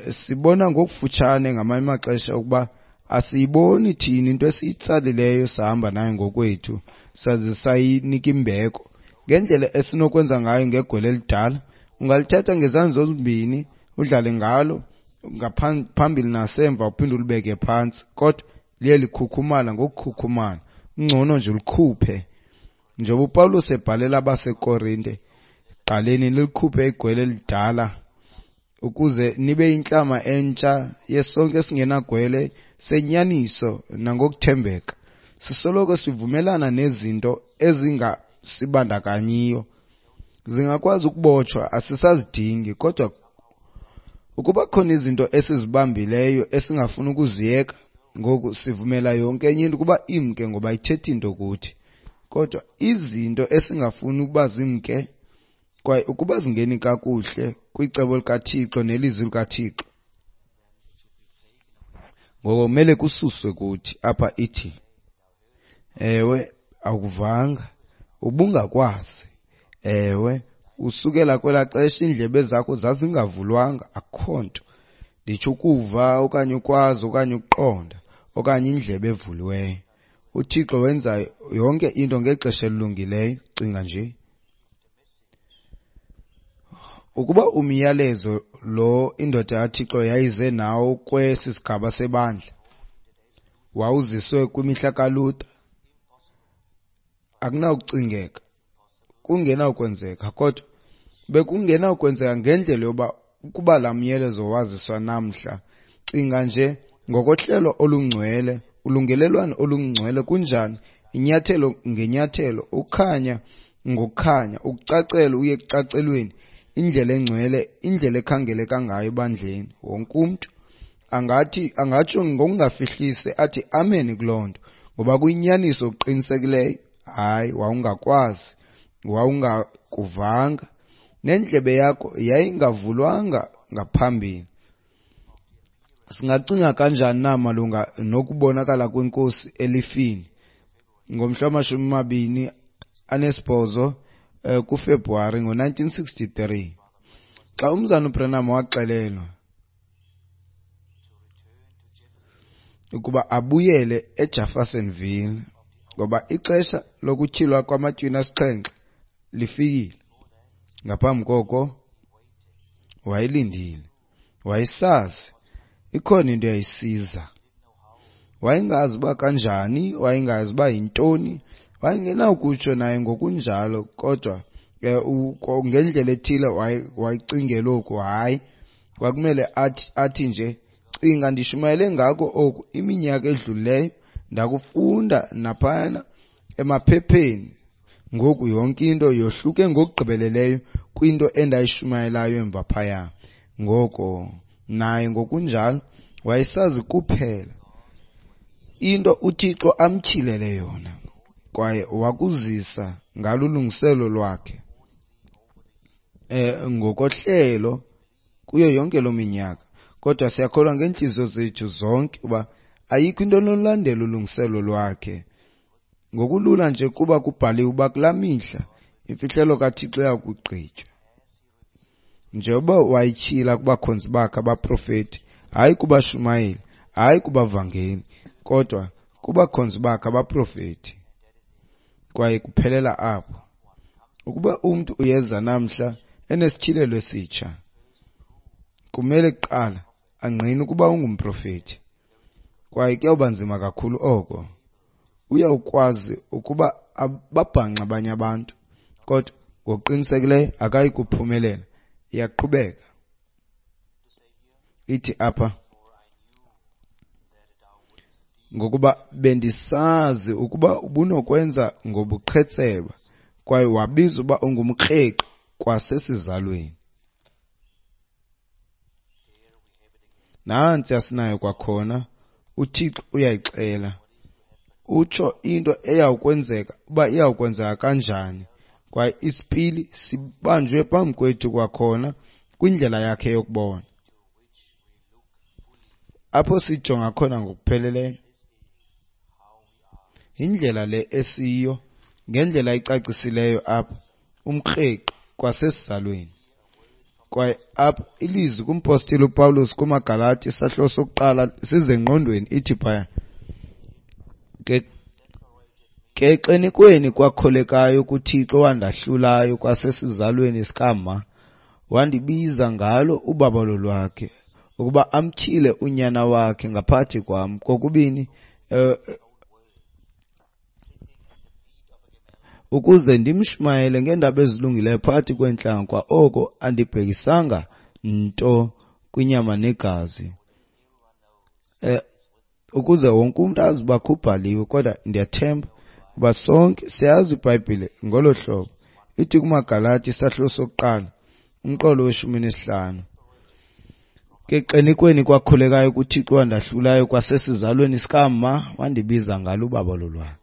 sibona ngokufutshane ngamanye amaxesha ukuba asiyiboni thina into esiyitsalileyo sahamba nayo ngokwethu, saze sayinika imbeko ngendlela esinokwenza ngayo ngegwele elidala. Ungalithatha ngezandla zombini udlale ngalo ngaphambili nasemva, uphinde ulibeke phantsi, kodwa liye likhukhumala ngokukhukhumala. Ngcono nje ulikhuphe. Njengoba uPawulos ebhalela abaseKorinte, qaleni nilikhuphe igwele elidala ukuze nibe intlama entsha yesonke esingenagwele senyaniso nangokuthembeka. Sisoloko sivumelana nezinto ezingasibandakanyiyo, zingakwazi ukubotshwa, asisazidingi. Kodwa ukuba khona izinto esizibambileyo esingafuni ukuziyeka, ngoku sivumela yonke enye into ukuba imke ngoba ithethi into kuthi. Kodwa izinto esingafuni ukuba zimke, Kwaye ukuba zingeni kakuhle kwicebo likaThixo nelizwi likaThixo, ngoko kumele kususwe kuthi. Apha ithi, ewe, awukuvanga, ubungakwazi. Ewe, usukela kwelaa xesha iindlebe zakho zazingavulwanga, akukho nto. Nditsho ukuva okanye ukwazi okanye ukuqonda okanye indlebe evuliweyo. UThixo wenza yonke into ngexesha elilungileyo. Cinga nje. Ukuba umyalezo lo indoda kaThixo yayize nawo kwesi sigaba sebandla wawuziswe kwimihla kaLuther, akunawucingeka, kungenawukwenzeka, kodwa bekungenawukwenzeka ngendlela yoba ukuba laa myalezo waziswa namhla. Cinga nje ngokohlelo olungcwele, ulungelelwano olungcwele kunjani, inyathelo ngenyathelo, ukhanya ngokukhanya, ukucacela uye ekucacelweni, indlela engcwele, indlela ekhangeleka ngayo ebandleni. Wonke umntu angathi, angatsho ngokungafihlisi athi amen kuloo nto, ngoba kuyinyaniso okuqinisekileyo. Hayi, wawungakwazi, wawungakuvanga, nendlebe yakho yayingavulwanga ngaphambili. Singacinga kanjani na malunga nokubonakala kwenkosi elifini ngomhla wama-28 kuFebruwari ngo-1963, xa umzana uBranham waxelelwa ukuba abuyele eJeffersonville ngoba ixesha lokutyhilwa kwamatywina asixhenxe lifikile. Ngaphambi koko wayelindile, wayesazi ikhona into eyayisiza. Wayengazi uba kanjani, wayengazi uba yintoni, wayengenawukutsho naye ngokunjalo, kodwa ngendlela ethile wayecingela oku. Hayi, kwakumele athi nje, cinga ndishumayele ngako oku iminyaka edlulileyo, ndakufunda naphayana emaphepheni. Ngoku yonke into yohluke ngokugqibeleleyo kwinto endayishumayelayo emva phaya. Ngoko naye ngokunjalo wayesazi kuphela into uThixo amtyhilele yona, kwaye wakuzisa ngalulungiselo lwakhe ngokohlelo kuyo yonke loo minyaka. Kodwa siyakholwa ngeentliziyo zethu zonke uba ayikho into enolandela ulungiselo lwakhe. Ngokulula nje kuba kubhaliwe uba kulaa mihla imfihlelo kaThixo iyakugqitywa. Njengoba wayityhila kubakhonzi bakhe abaprofeti, hayi kubashumayeli, hayi kubavangeli, kodwa kubakhonzi bakhe abaprofeti. Kwaye kuphelela apho. Ukuba umntu uyeza namhla enesityhilelo esitsha, kumele kuqala angqine ukuba ungumprofeti. Kwaye kuyawuba nzima kakhulu oko. Uyawukwazi ukuba ababhanxe abanye abantu, kodwa ngokuqinisekileyo akayi kuphumelela. Iyaqhubeka ithi apha, ngokuba bendisazi ukuba ubunokwenza ngobuqhetseba, kwaye wabiza uba ungumkreqi kwasesizalweni. Nantsi asinayo kwakhona, uThixo uyayixela, utsho into eyawukwenzeka uba iyawukwenzeka kanjani, kwaye isipili sibanjwe phambi kwethu kwakhona kwindlela yakhe yokubona, apho sijonga khona ngokupheleleyo. Indlela le esiyo ngendlela icacisileyo apha, umkreqi kwasesizalweni. Kwaye apha ilizwi kumpostile uPawulos kumaGalati isahluko sokuqala size engqondweni, ithi phaya, ke xenikweni kwakholekayo kuThixo owandahlulayo kwasesizalweni sikama, wandibiza ngalo ubabalo lwakhe ukuba amtyhile unyana wakhe ngaphakathi kwam, kokubini ukuze ndimshumayele ngeendaba ezilungileyo phakathi kweentlanga, kwa oko andibhekisanga nto kwinyama negazi, ukuze wonke umntu azi uba kubhaliwe. Kodwa ndiyathemba uba sonke siyazi iBhayibhile ngolo hlobo. Ithi kumaGalati isahluko sokuqala umqolo we-15, ke xenikweni kwakhulekayo kuThixo wandahlulayo kwasesizalweni sikama, wandibiza ngalo ubabalo lwakhe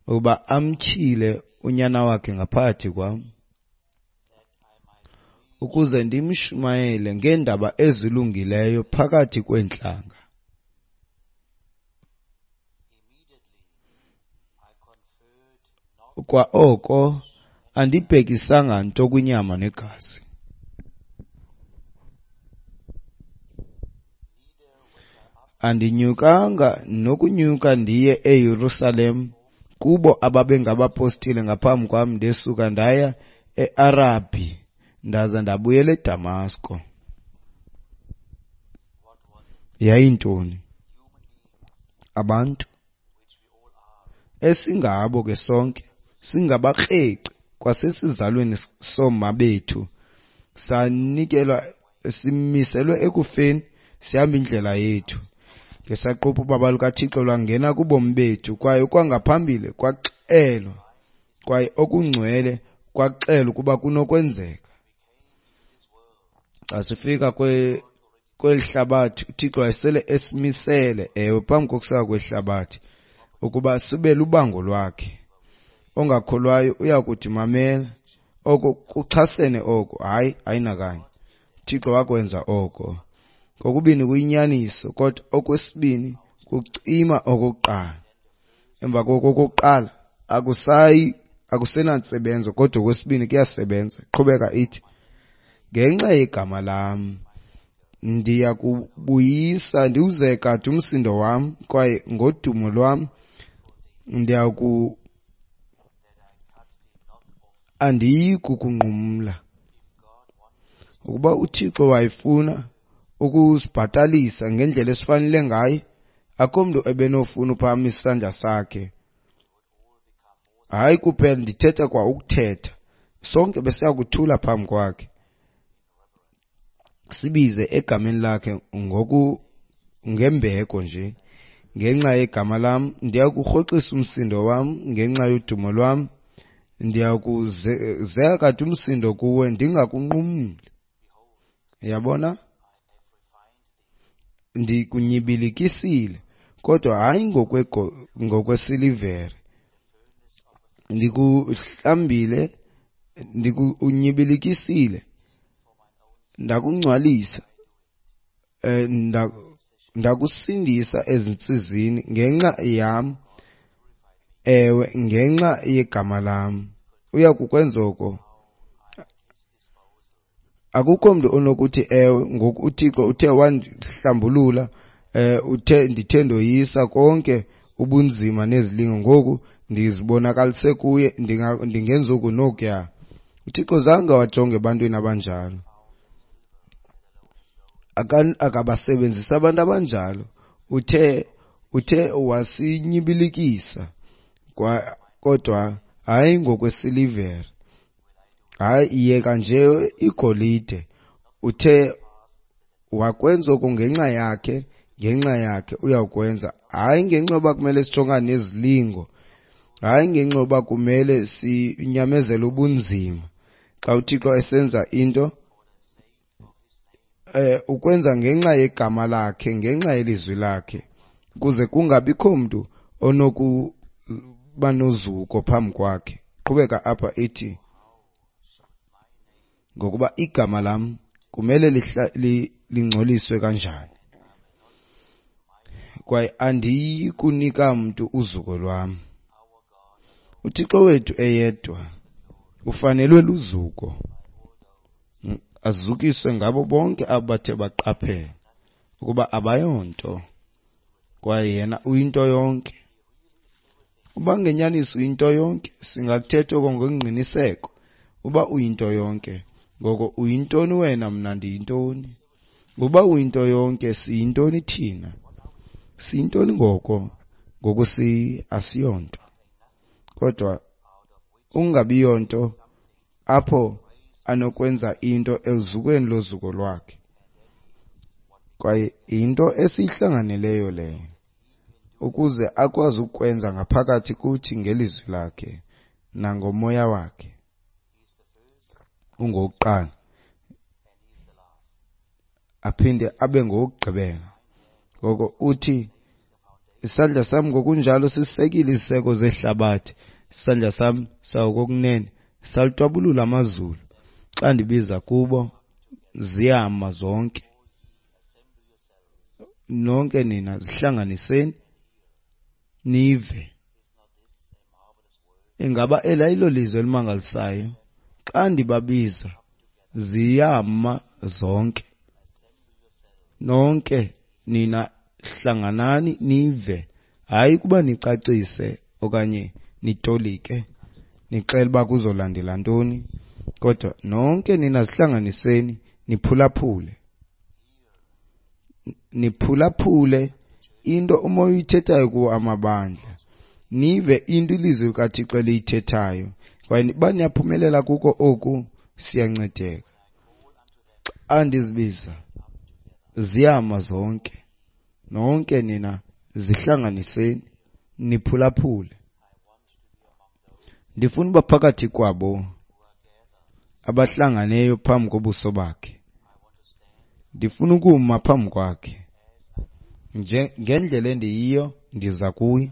ukuba amtyhile unyana wakhe ngaphakathi kwam. ukuze ndimshumayele ngeendaba ezilungileyo phakathi kweentlanga. Kwa oko andibhekisanga nto kwinyama negazi. Andinyukanga nokunyuka ndiye eYerusalem kubo ababengabapostile ngaphambi kwam, ndesuka ndaya eArabhi ndaza ndabuyela eDamasko. Yayintoni? Abantu esingabo ke sonke singabakreqi kwasesizalweni sooma bethu, sanikelwa simiselwe ekufeni, sihamba indlela yethu. Ngesaquphe ubaba lukaThixo lwangena kubomi bethu, kwaye kwangaphambili kwaxelwa, kwaye okungcwele kwaxelwa ukuba kunokwenzeka. Xa sifika kweli hlabathi, uThixo wayesele esimisele, ewe, phambi kokuseka kwehlabathi, ukuba sibe lubango lwakhe. Ongakholwayo uyakuthi, mamela, oko kuchasene oko. Hayi, ayinakanye. UThixo wakwenza oko. Kokubini kuyinyaniso, kodwa okwesibini kucima okokuqala. Emva koko okokuqala akusenantsebenzo, kodwa okwesibini kuyasebenza. Qhubeka ithi, ngenxa yegama lam ndiya kubuyisa ndiwuzekade umsindo wam, kwaye ngodumo lwam andiyi kukunqumla. Ukuba uThixo wayefuna ukusibhatalisa ngendlela esifanele ngayo, akho mntu ebenofuna uphakamisa isandla sakhe. Hayi kuphela ndithetha kwa ukuthetha, sonke besiya kuthula phambi kwakhe, sibize egameni lakhe ngembeko nje. Ngenxa yegama lam ndiya kurhoxisa umsindo wam, ngenxa yodumo lwam ndiya kuzeka kade umsindo kuwe, ndingakunqumli. Yabona, ndikunyibilikisile, kodwa hayi ngokwesilivere. Ndikuhlambile, ndikunyibilikisile, ndakungcwalisa, ndakusindisa ezintsizini ngenxa yam, ewe, ngenxa yegama lam. Uya kukwenza oko. Akukho mntu onokuthi ewe, ngoku uThixo uthe wandihlambulula, uthe ndithe ndoyisa konke ubunzima nezilingo, ngoku ndizibonakalise kuye, ndingenza oku nokuya. uThixo zange wajonge ebantwini abanjalo. Akabasebenzisi abantu abanjalo. Uthe wasinyibilikisa, kodwa hayi ngokwesilivere, hayi yeka nje igolide. Uthe wakwenza oku ngenxa yakhe, ngenxa yakhe uyawukwenza, hayi ngenxa yoba kumele sijongane nezilingo, hayi ngenxa yoba kumele sinyamezele ubunzima. Xa uThixo esenza into, ukwenza ngenxa yegama lakhe, ngenxa yelizwi lakhe, ukuze kungabikho mntu onokuba nozuko phambi kwakhe. Qhubeka apha ithi, ngokuba igama lam kumele lingcoliswe kanjani, kwaye andiyi kunika mntu uzuko lwam. uThixo wethu eyedwa ufanelwe luzuko, azukiswe ngabo bonke abathe baqaphela ukuba abayonto, kwaye yena uyinto yonke. Uba ngenyaniso uyinto yonke, singakuthetha oko ngengqiniseko, uba uyinto yonke. Ngoko uyintoni wena, mna ndiyintoni? Uba uyinto yonke, siyintoni thina? Siyintoni ngoko? Ngoku asiyonto. Kodwa ungabiyonto apho anokwenza into eluzukweni lozuko lwakhe. Kwaye yinto esiyihlanganeleyo leyo, ukuze akwazi ukwenza ngaphakathi kuthi ngelizwi lakhe nangomoya wakhe. Ungowokuqala aphinde abe ngowokugqibela. Ngoko uthi, isandla sam ngokunjalo sisekile iziseko zehlabathi, isandla sam sakokunene salitwabulula amazulu. Xa ndibiza kubo, ziyama zonke. Nonke nina zihlanganiseni nive. Ingaba eli ayilo lizwi elimangalisayo? Xa ndibabiza ziyama zonke. Nonke nina hlanganani nive, hayi kuba nicacise okanye nitolike nixele uba kuzolandela ntoni, kodwa nonke nina zihlanganiseni niphulaphule. Niphulaphule into uMoya uyithethayo kuwo amabandla, nive into ilizwi likaThixo eliyithethayo, kwaye uba niyaphumelela kuko oku siyancedeka. Xa ndizibiza ziyama zonke. Nonke nina zihlanganiseni niphulaphule. Ndifuna uba phakathi kwabo abahlanganeyo phambi kobuso bakhe. Ndifuna ukuma phambi kwakhe ngendlela endiyiyo, ndiza kuye,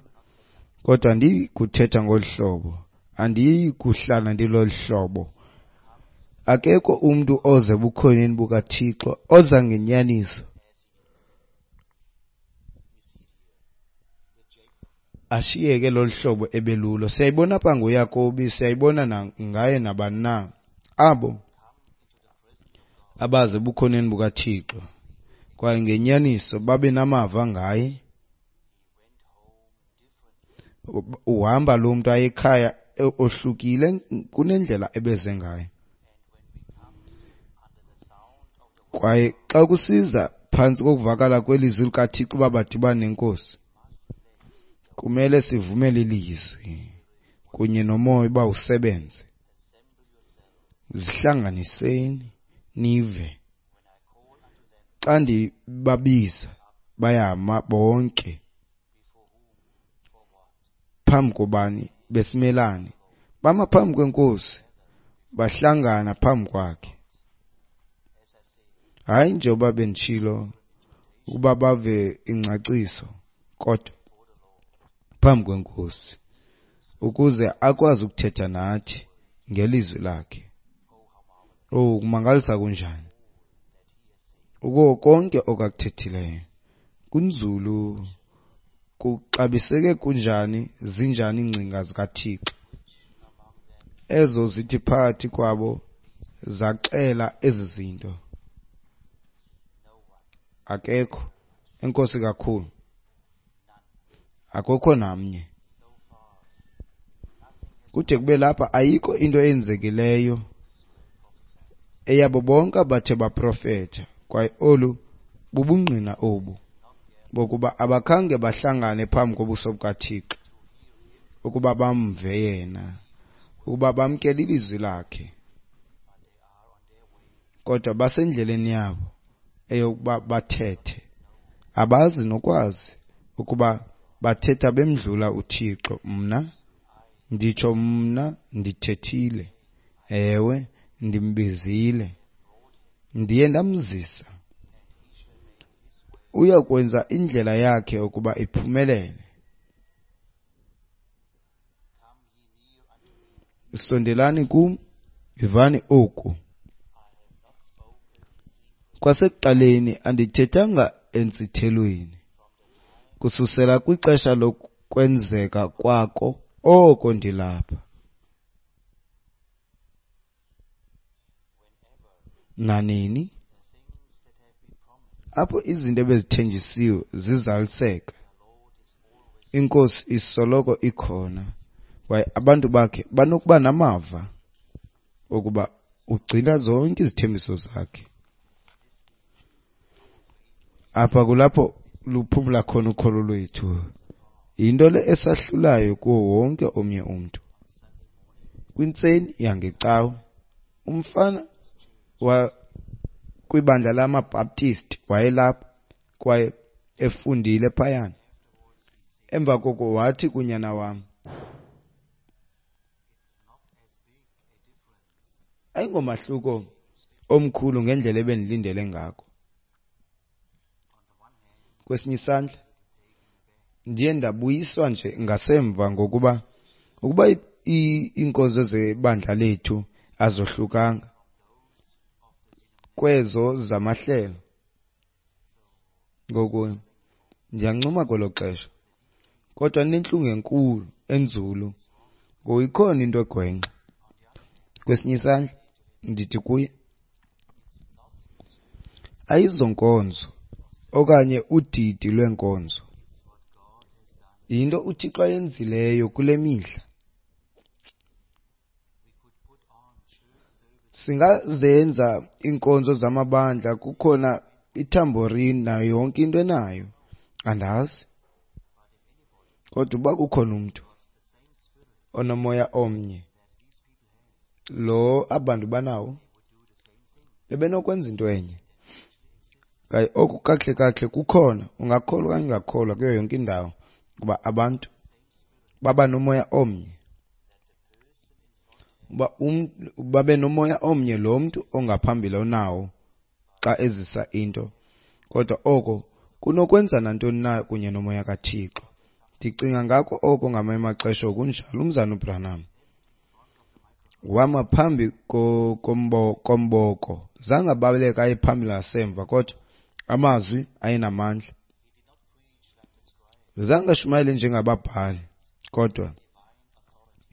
kodwa andiyi kuthetha ngolu hlobo, andiyi kuhlala ndilolu hlobo. Akekho umntu oze ebukhoneni bukaThixo oza ngenyaniso ashiyeke lolu hlobo ebelulo. Siyayibona apha ngoYakobi, siyayibona ngaye nabani na abo abaze ebukhoneni bukaThixo kwaye ngenyaniso babe namava ngaye. Uhamba lo mntu aye ekhaya ohlukile kunendlela ebeze ngayo. Kwaye xa kusiza phantsi kokuvakala kwelizwi likaThixo uba badibane neNkosi, kumele sivumele ilizwi kunye noMoya uba usebenze. Zihlanganiseni nive. Xa ndibabiza bayama bonke. Phambi kobani? Besimelane. Bama phambi kweNkosi, bahlangana phambi kwakhe. Hayi njengoba benditshilo ukuba bave ingcaciso, kodwa phambi kweNkosi ukuze akwazi ukuthetha nathi ngelizwi lakhe. Oh, kumangalisa kunjani uko konke okakuthethileyo. Kunzulu, kuxabiseke kunjani, zinjani iingcinga zikaThixo ezo zithi phakathi kwabo zaxela ezi zinto. Akekho. Enkosi kakhulu. Akukho namnye. Kude kube lapha ayikho into eyenzekileyo eyabo bonke abathe baprofetha, kwaye olu bubungqina obu bokuba abakhange bahlangane phambi kobuso bukaThixo ukuba bamve yena, ukuba bamkele ilizwi lakhe, kodwa basendleleni yabo eyokuba bathethe. Abazi nokwazi ukuba bathetha bemdlula uThixo. Mna nditsho, mna ndithethile, ewe, ndimbizile, ndiye ndamzisa. Uya kwenza indlela yakhe ukuba iphumelele. Sondelani kum, ivani oku. Kwasekuqaleni andithethanga entsithelweni, kususela kwixesha lokwenzeka kwako oko ndilapha. Nanini apho izinto ebezithenjisiwe zizaliseka, iNkosi isoloko ikhona, kwaye abantu bakhe banokuba namava okuba ugcina zonke izithembiso zakhe. Apha kulapho luphumla khona ukholo lwethu. Yinto le esahlulayo kuwo wonke omnye umntu. Kwintseni yangecawe, umfana kwibandla lamaBaptist wayelapha kwaye efundile phayana. Emva koko wathi kunyana wam, ayingomahluko omkhulu ngendlela ebendilindele ngako. Kwesinye isandla ndiye ndabuyiswa nje ngasemva, ngokuba ukuba iinkonzo zebandla lethu azohlukanga kwezo zamahlelo. Ngoku ndiyancuma kwelo xesha, kodwa ndinentlungu enkulu enzulu ngoku ikhona into egwenxa. Kwesinye isandla ndithi kuye, ayizonkonzo okanye udidi lweenkonzo, yinto uThixo ayenzileyo kule mihla. Singazenza iinkonzo zamabandla, kukhona ithamborini nayo yonke into enayo, andazi. Kodwa uba kukhona umntu onomoya omnye lo abantu banawo, bebenokwenza into enye. Kwaye oku kakuhle kakuhle kukhona, ungakholwa okanye ungakholwa, kuyo yonke indawo, kuba abantu baba nomoya omnye. Uba babe nomoya omnye lo mntu ongaphambili onawo xa ezisa into, kodwa oko kunokwenza nantoni na kunye nomoya kaThixo. Ndicinga ngako oko ngamanye amaxesha okunjalo. Umzana uBranham wama phambi komboko, zange abaleke aye phambili ngasemva, kodwa amazwi ayenamandla. Zange ashumayele njengababhali, kodwa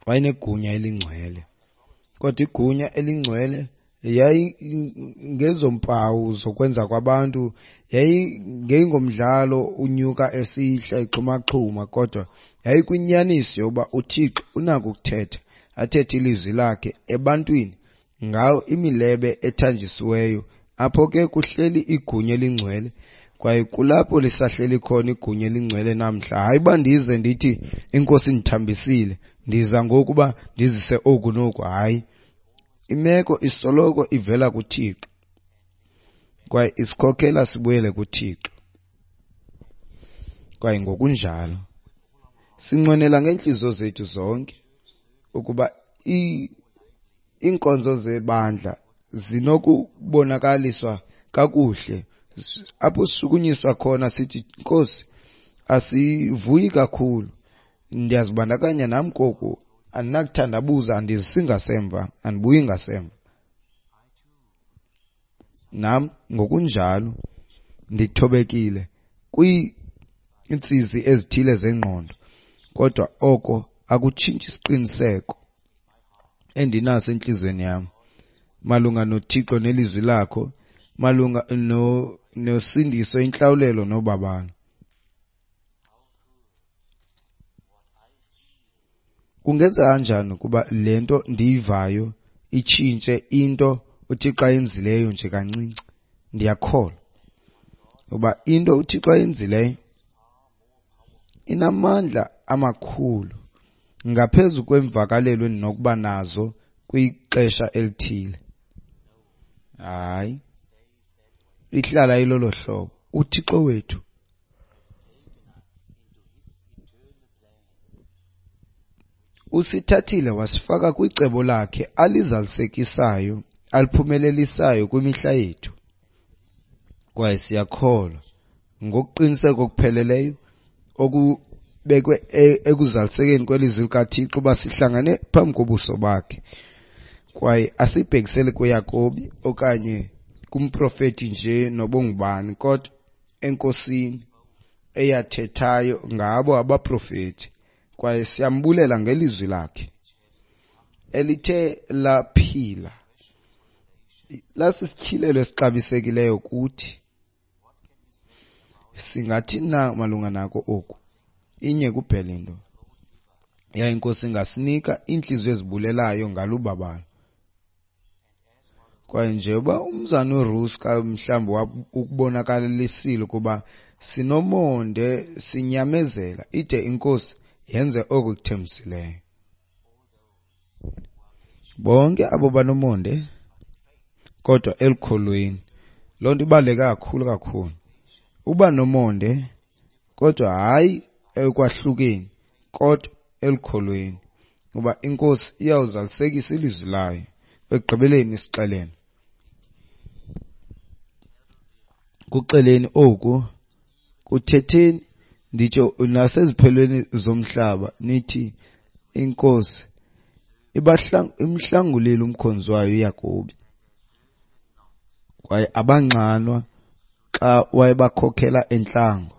wayenegunya elingcwele. Kodwa igunya elingcwele yayingezompawu zokwenza kwabantu, yayingengomdlalo unyuka esihla exhumaxhuma, kodwa yayikwinyaniso yokuba uThixo unako ukuthetha, athethe ilizwi lakhe ebantwini ngawo imilebe ethanjisiweyo. Apho ke kuhleli igunya elingcwele, kwaye kulapho lisahleli khona igunya elingcwele namhla. Hayi uba ndize ndithi iNkosi indithambisile, ndiza ngokuba ndizise oku noku, hayi. Imeko isoloko ivela kuThixo, kwaye isikhokela sibuyele kuThixo. Kwaye ngokunjalo sinqwenela ngeentliziyo zethu zonke ukuba iinkonzo zebandla zinokubonakaliswa kakuhle, apho sishukunyiswa khona sithi, Nkosi, asivuyi kakhulu, ndiyazibandakanya nam koku, andinakuthandabuza, andizisi ngasemva, andibuyi ngasemva. Nam ngokunjalo ndithobekile kwiintsizi ezithile zengqondo, kodwa oko akutshintshi isiqiniseko endinaso entliziyweni yam malunga noThixo nelizwi lakho, malunga nosindiso, intlawulelo nobabalo. Kungenzeka kanjani ukuba le nto ndiyivayo itshintshe into uThixo ayenzileyo nje kancinci? Ndiyakholwa ukuba into uThixo ayenzileyo inamandla amakhulu ngaphezu kwemvakalelo endinokuba nazo kwixesha elithile. Hayi, ihlala ilolo hlobo. UThixo wethu usithathile wasifaka kwicebo lakhe alizalisekisayo, aliphumelelisayo kwimihla yethu. Kwaye siyakholwa ngokuqiniseka okupheleleyo okubekwe ekuzalisekeni kwelizwi likaThixo uba sihlangane phambi kobuso bakhe. Kwaye asibhekiseli kuYakobi okanye kumprofeti nje nobungubani, kodwa eNkosini eyathethayo ngabo abaprofeti. Kwaye siyambulela ngelizwi lakhe elithe laphila, lasisityhilelo esixabisekileyo kuthi. Singathi na malunga nako oku? Inye kuphela into, yaye iNkosi ingasinika iintliziyo ezibulelayo ngalubabalo. Kwaye njengoba umzana uRuska mhlawumbi ukubonakalisile ukuba sinomonde, sinyamezela ide iNkosi yenze oko ikuthembisileyo. Bonke abo banomonde kodwa elukholweni, loo nto ibaluleke kakhulu kakhulu. Uba nomonde kodwa hayi ekwahlukeni, kodwa elukholweni, kuba iNkosi iyawuzalisekisa ilizwi layo ekugqibeleni isixelele. Kuxeleni oku, kuthetheni, nditsho naseziphelweni zomhlaba, nithi iNkosi imhlangulile umkhonzi wayo uYakobi. Kwaye abanxanwa xa wayebakhokhela entlango.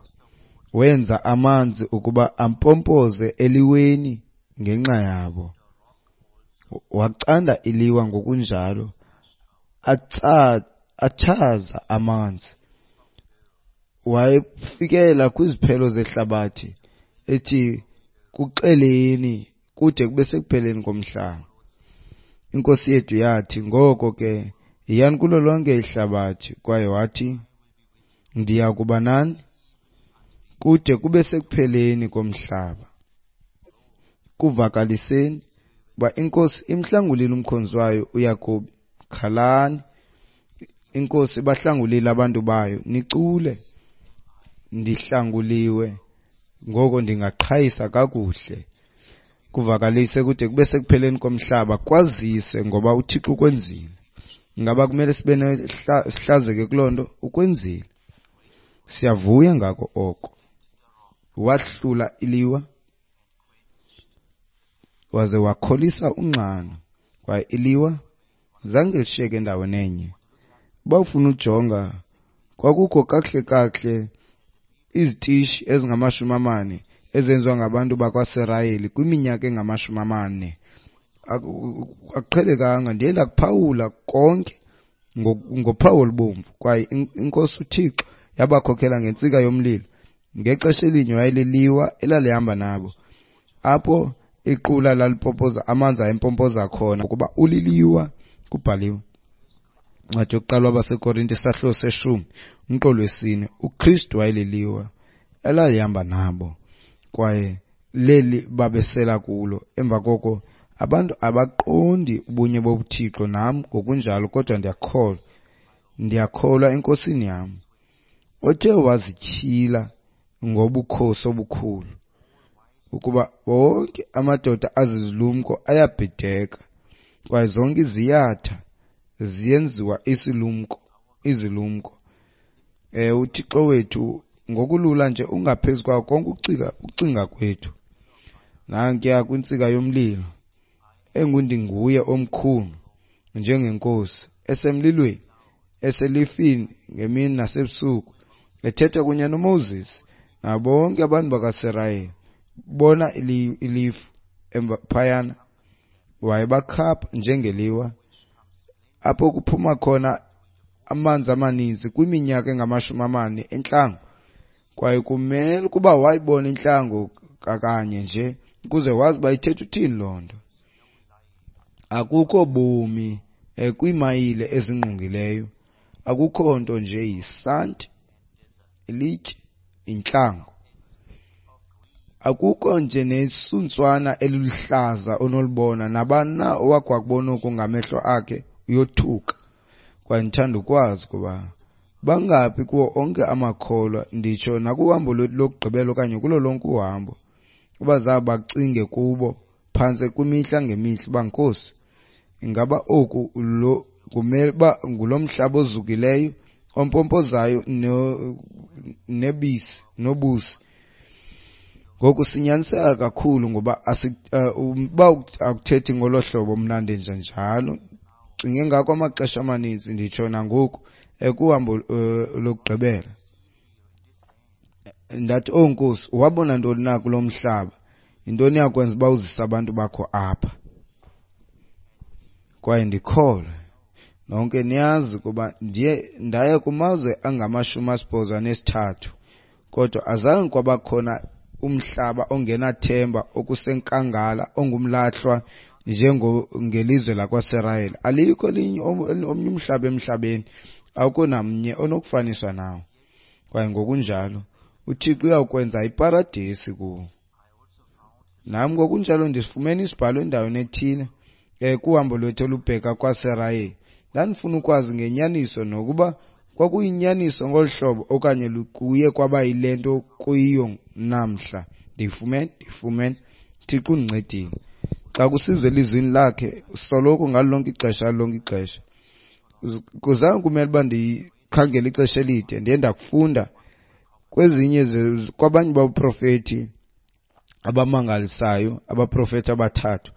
Wenza amanzi ukuba ampompoze eliweni ngenxa yabo. Wacanda iliwa ngokunjalo, atshaza amanzi. Wayefikela kwiziphelo zehlabathi ethi kuxeleni kude kube sekupheleni komhlaba. Inkosi yethu yathi, ngoko ke yiyani kulo lonke ihlabathi, kwaye wathi, ndiya kuba nani kude kube sekupheleni komhlaba. Kuvakaliseni uba iNkosi imhlangulile umkhonzi wayo uYakobi. Khalani, iNkosi ibahlangulile abantu bayo. Nicule, ndihlanguliwe, ngoko ndingaqhayisa kakuhle. Kuvakalise kude kube sekupheleni komhlaba, kwazise ngoba uThixo ukwenzile. Ingaba kumele sibe sihlazeke kuloo nto? Ukwenzile. Siyavuya ngako oko. Wahlula iliwa waze wakholisa unxano, kwaye iliwa zange lishiyeke endaweni enye. Uba ufuna ujonga, kwakukho kakuhle kakuhle izitishi ezingama-40 ezenziwa ngabantu bakwaSirayeli kwiminyaka engama-40. Akuqhelekanga, ndiye ndakuphawula konke ngophawu olubomvu. Kwaye iNkosi uThixo yabakhokhela ngentsika yomlilo. Ngexesha elinye wayeliliwa elalihamba nabo. Apho iqula lalipompoza, amanzi ayempompoza khona, ukuba uliliwa, kubhaliwe. Incwadi yokuqala wabaseKorinte isahluko seshumi umqolo wesine, uKristu wayeliliwa elalihamba nabo kwaye leli babesela kulo. Emva koko abantu abaqondi ubunye bobuThixo, nam ngokunjalo, kodwa ndiyakholwa, ndiyakholwa eNkosini yam, othe wazityhila ngobukhosi obukhulu, ukuba wonke amadoda azizilumko ayabhideka, kwaye zonke iziyatha ziyenziwa isilumko, izilumko. UThixo wethu ngokulula nje ungaphezu kwawo konke ukucinga kwethu. Nankuya kwintsika yomlilo, engundinguye omkhulu njengenkosi, esemlilweni, eselifini ngemini nasebusuku, ethetha kunye noMoses nabo bonke abantu bakaSirayeli. Bona ilifu emva phayana, wayebakhapha njengeliwa, apho kuphuma khona amanzi amaninzi kwiminyaka engama-40 entlango. Kwaye kumele ukuba wayibona intlango kakanye nje ukuze wazi uba ithetha uthini loo nto. Akukho bomi kwiimayile ezingqongileyo, akukho nto nje yisanti, ilitye, intlango. Akukho nje nesuntswana eliluhlaza onolubona. Nabani na owakhe wakubona oku ngamehlo akhe uyothuka. Kwaye ndithanda ukwazi ukuba bangaphi kuwo onke amakholwa, nditsho nakuhambo lwethu lokugqibela okanye kulo lonke uhambo, abazabe bacinge kubo phantse kwimihla ngemihla uba, Nkosi, ingaba oku lo kumele uba ngulo mhlaba ozukileyo ompompozayo nebisi nobusi? Ngoku sinyaniseka kakhulu ngoba uba akuthethi ngolo hlobo, mna ndenza njalo. Cinge ngako amaxesha amaninzi, nditsho nangoku kuhambo lokugqibela. Ndathi, oh Nkosi, wabona ntoni na kulo mhlaba? Yintoni yakwenza uba uzise abantu bakho apha? Kwaye ndikholwe, nonke niyazi ukuba ndiye ndaya kumazwe angama-83, kodwa azange kwabakhona umhlaba ongenathemba okusenkangala ongumlahlwa njengelizwe lakwaSirayeli. Alikho elinye omnye umhlaba emhlabeni, akukho namnye onokufaniswa nawo. Kwaye ngokunjalo uThixo uyawukwenza iparadesi kuwo. Nam ngokunjalo ndisifumene isibhalo endaweni ethile kuhambo lwethu olubheka kwaSirayeli. Ndandifuna ukwazi ngenyaniso nokuba kwakuyinyaniso ngolu hlobo okanye kuye kwaba yile nto kuyiyo namhla. Ndiyifumene, ndiyifumene. Thixo undincedile. Xa kusiza elizwini lakhe, soloko ngalo lonke ixesha, ngalo lonke ixesha. Kuzange kumele uba ndikhangele ixesha elide, ndiye ndakufunda kwezinye kwabanye baprofethi abamangalisayo, abaprofethi abathathu.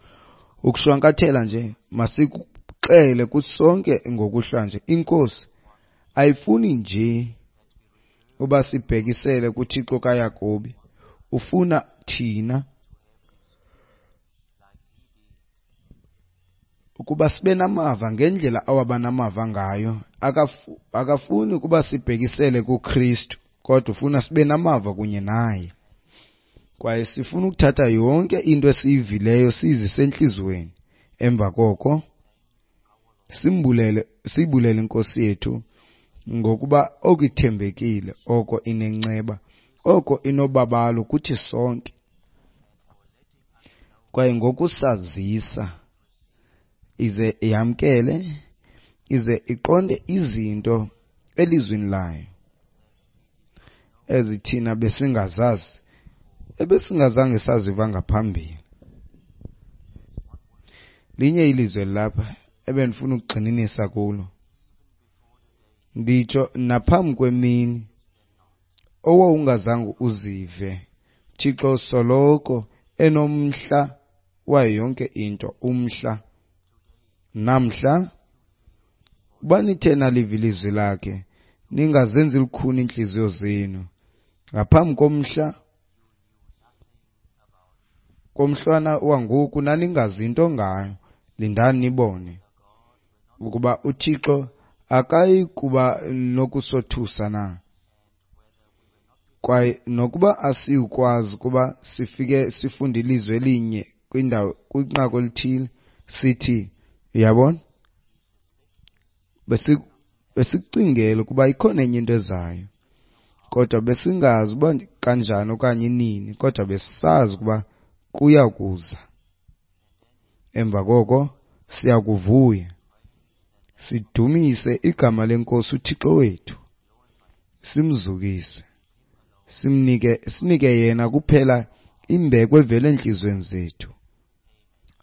Ukushwankathela nje, masikuxele kusonke ngokuhlwa nje, iNkosi Ayifuni nje uba sibhekisele kuThixo kaYakobi, ufuna thina ukuba sibe namava ngendlela awaba namava ngayo. Akafuni ukuba sibhekisele kuKristu, kodwa ufuna sibe namava kunye naye. Kwaye sifuna ukuthatha yonke into esiyivileyo siyizise entliziyweni. Emva koko simbulele, siyibulele iNkosi yethu ngokuba oku ithembekile, oko inenceba, oko inobabalo kuthi sonke. Kwaye ngokusazisa ize yamkele, ize iqonde izinto elizwini layo ezi thina besingazazi, ebesingazange saziva ngaphambili. Linye ilizwe lapha ebendifuna ukugxininisa kulo, nditsho naphambi kwemini owawungazange uzive. Thixo soloko enomhla wayo yonke into, umhla. Namhla uba nithe naliva ilizwi lakhe, ningazenzi lukhuni iintliziyo zenu. Ngaphambi komhla komhlwana wangoku naningazi nto ngayo. Lindani nibone ukuba uThixo akayi kuba nokusothusa na, kwaye nokuba asiyukwazi ukuba sifike sifunde ilizwi elinye kwindawo kwinqaku elithile sithi, uyabona, besicingela ukuba ikhona enye into ezayo, kodwa besingazi uba kanjani okanye nini, kodwa besisazi ukuba kuya kuza. Emva koko siya kuvuya, sidumise igama leNkosi uThixo wethu, simzukise, sinike yena kuphela imbeko evela entliziyweni zethu.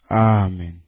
Amen.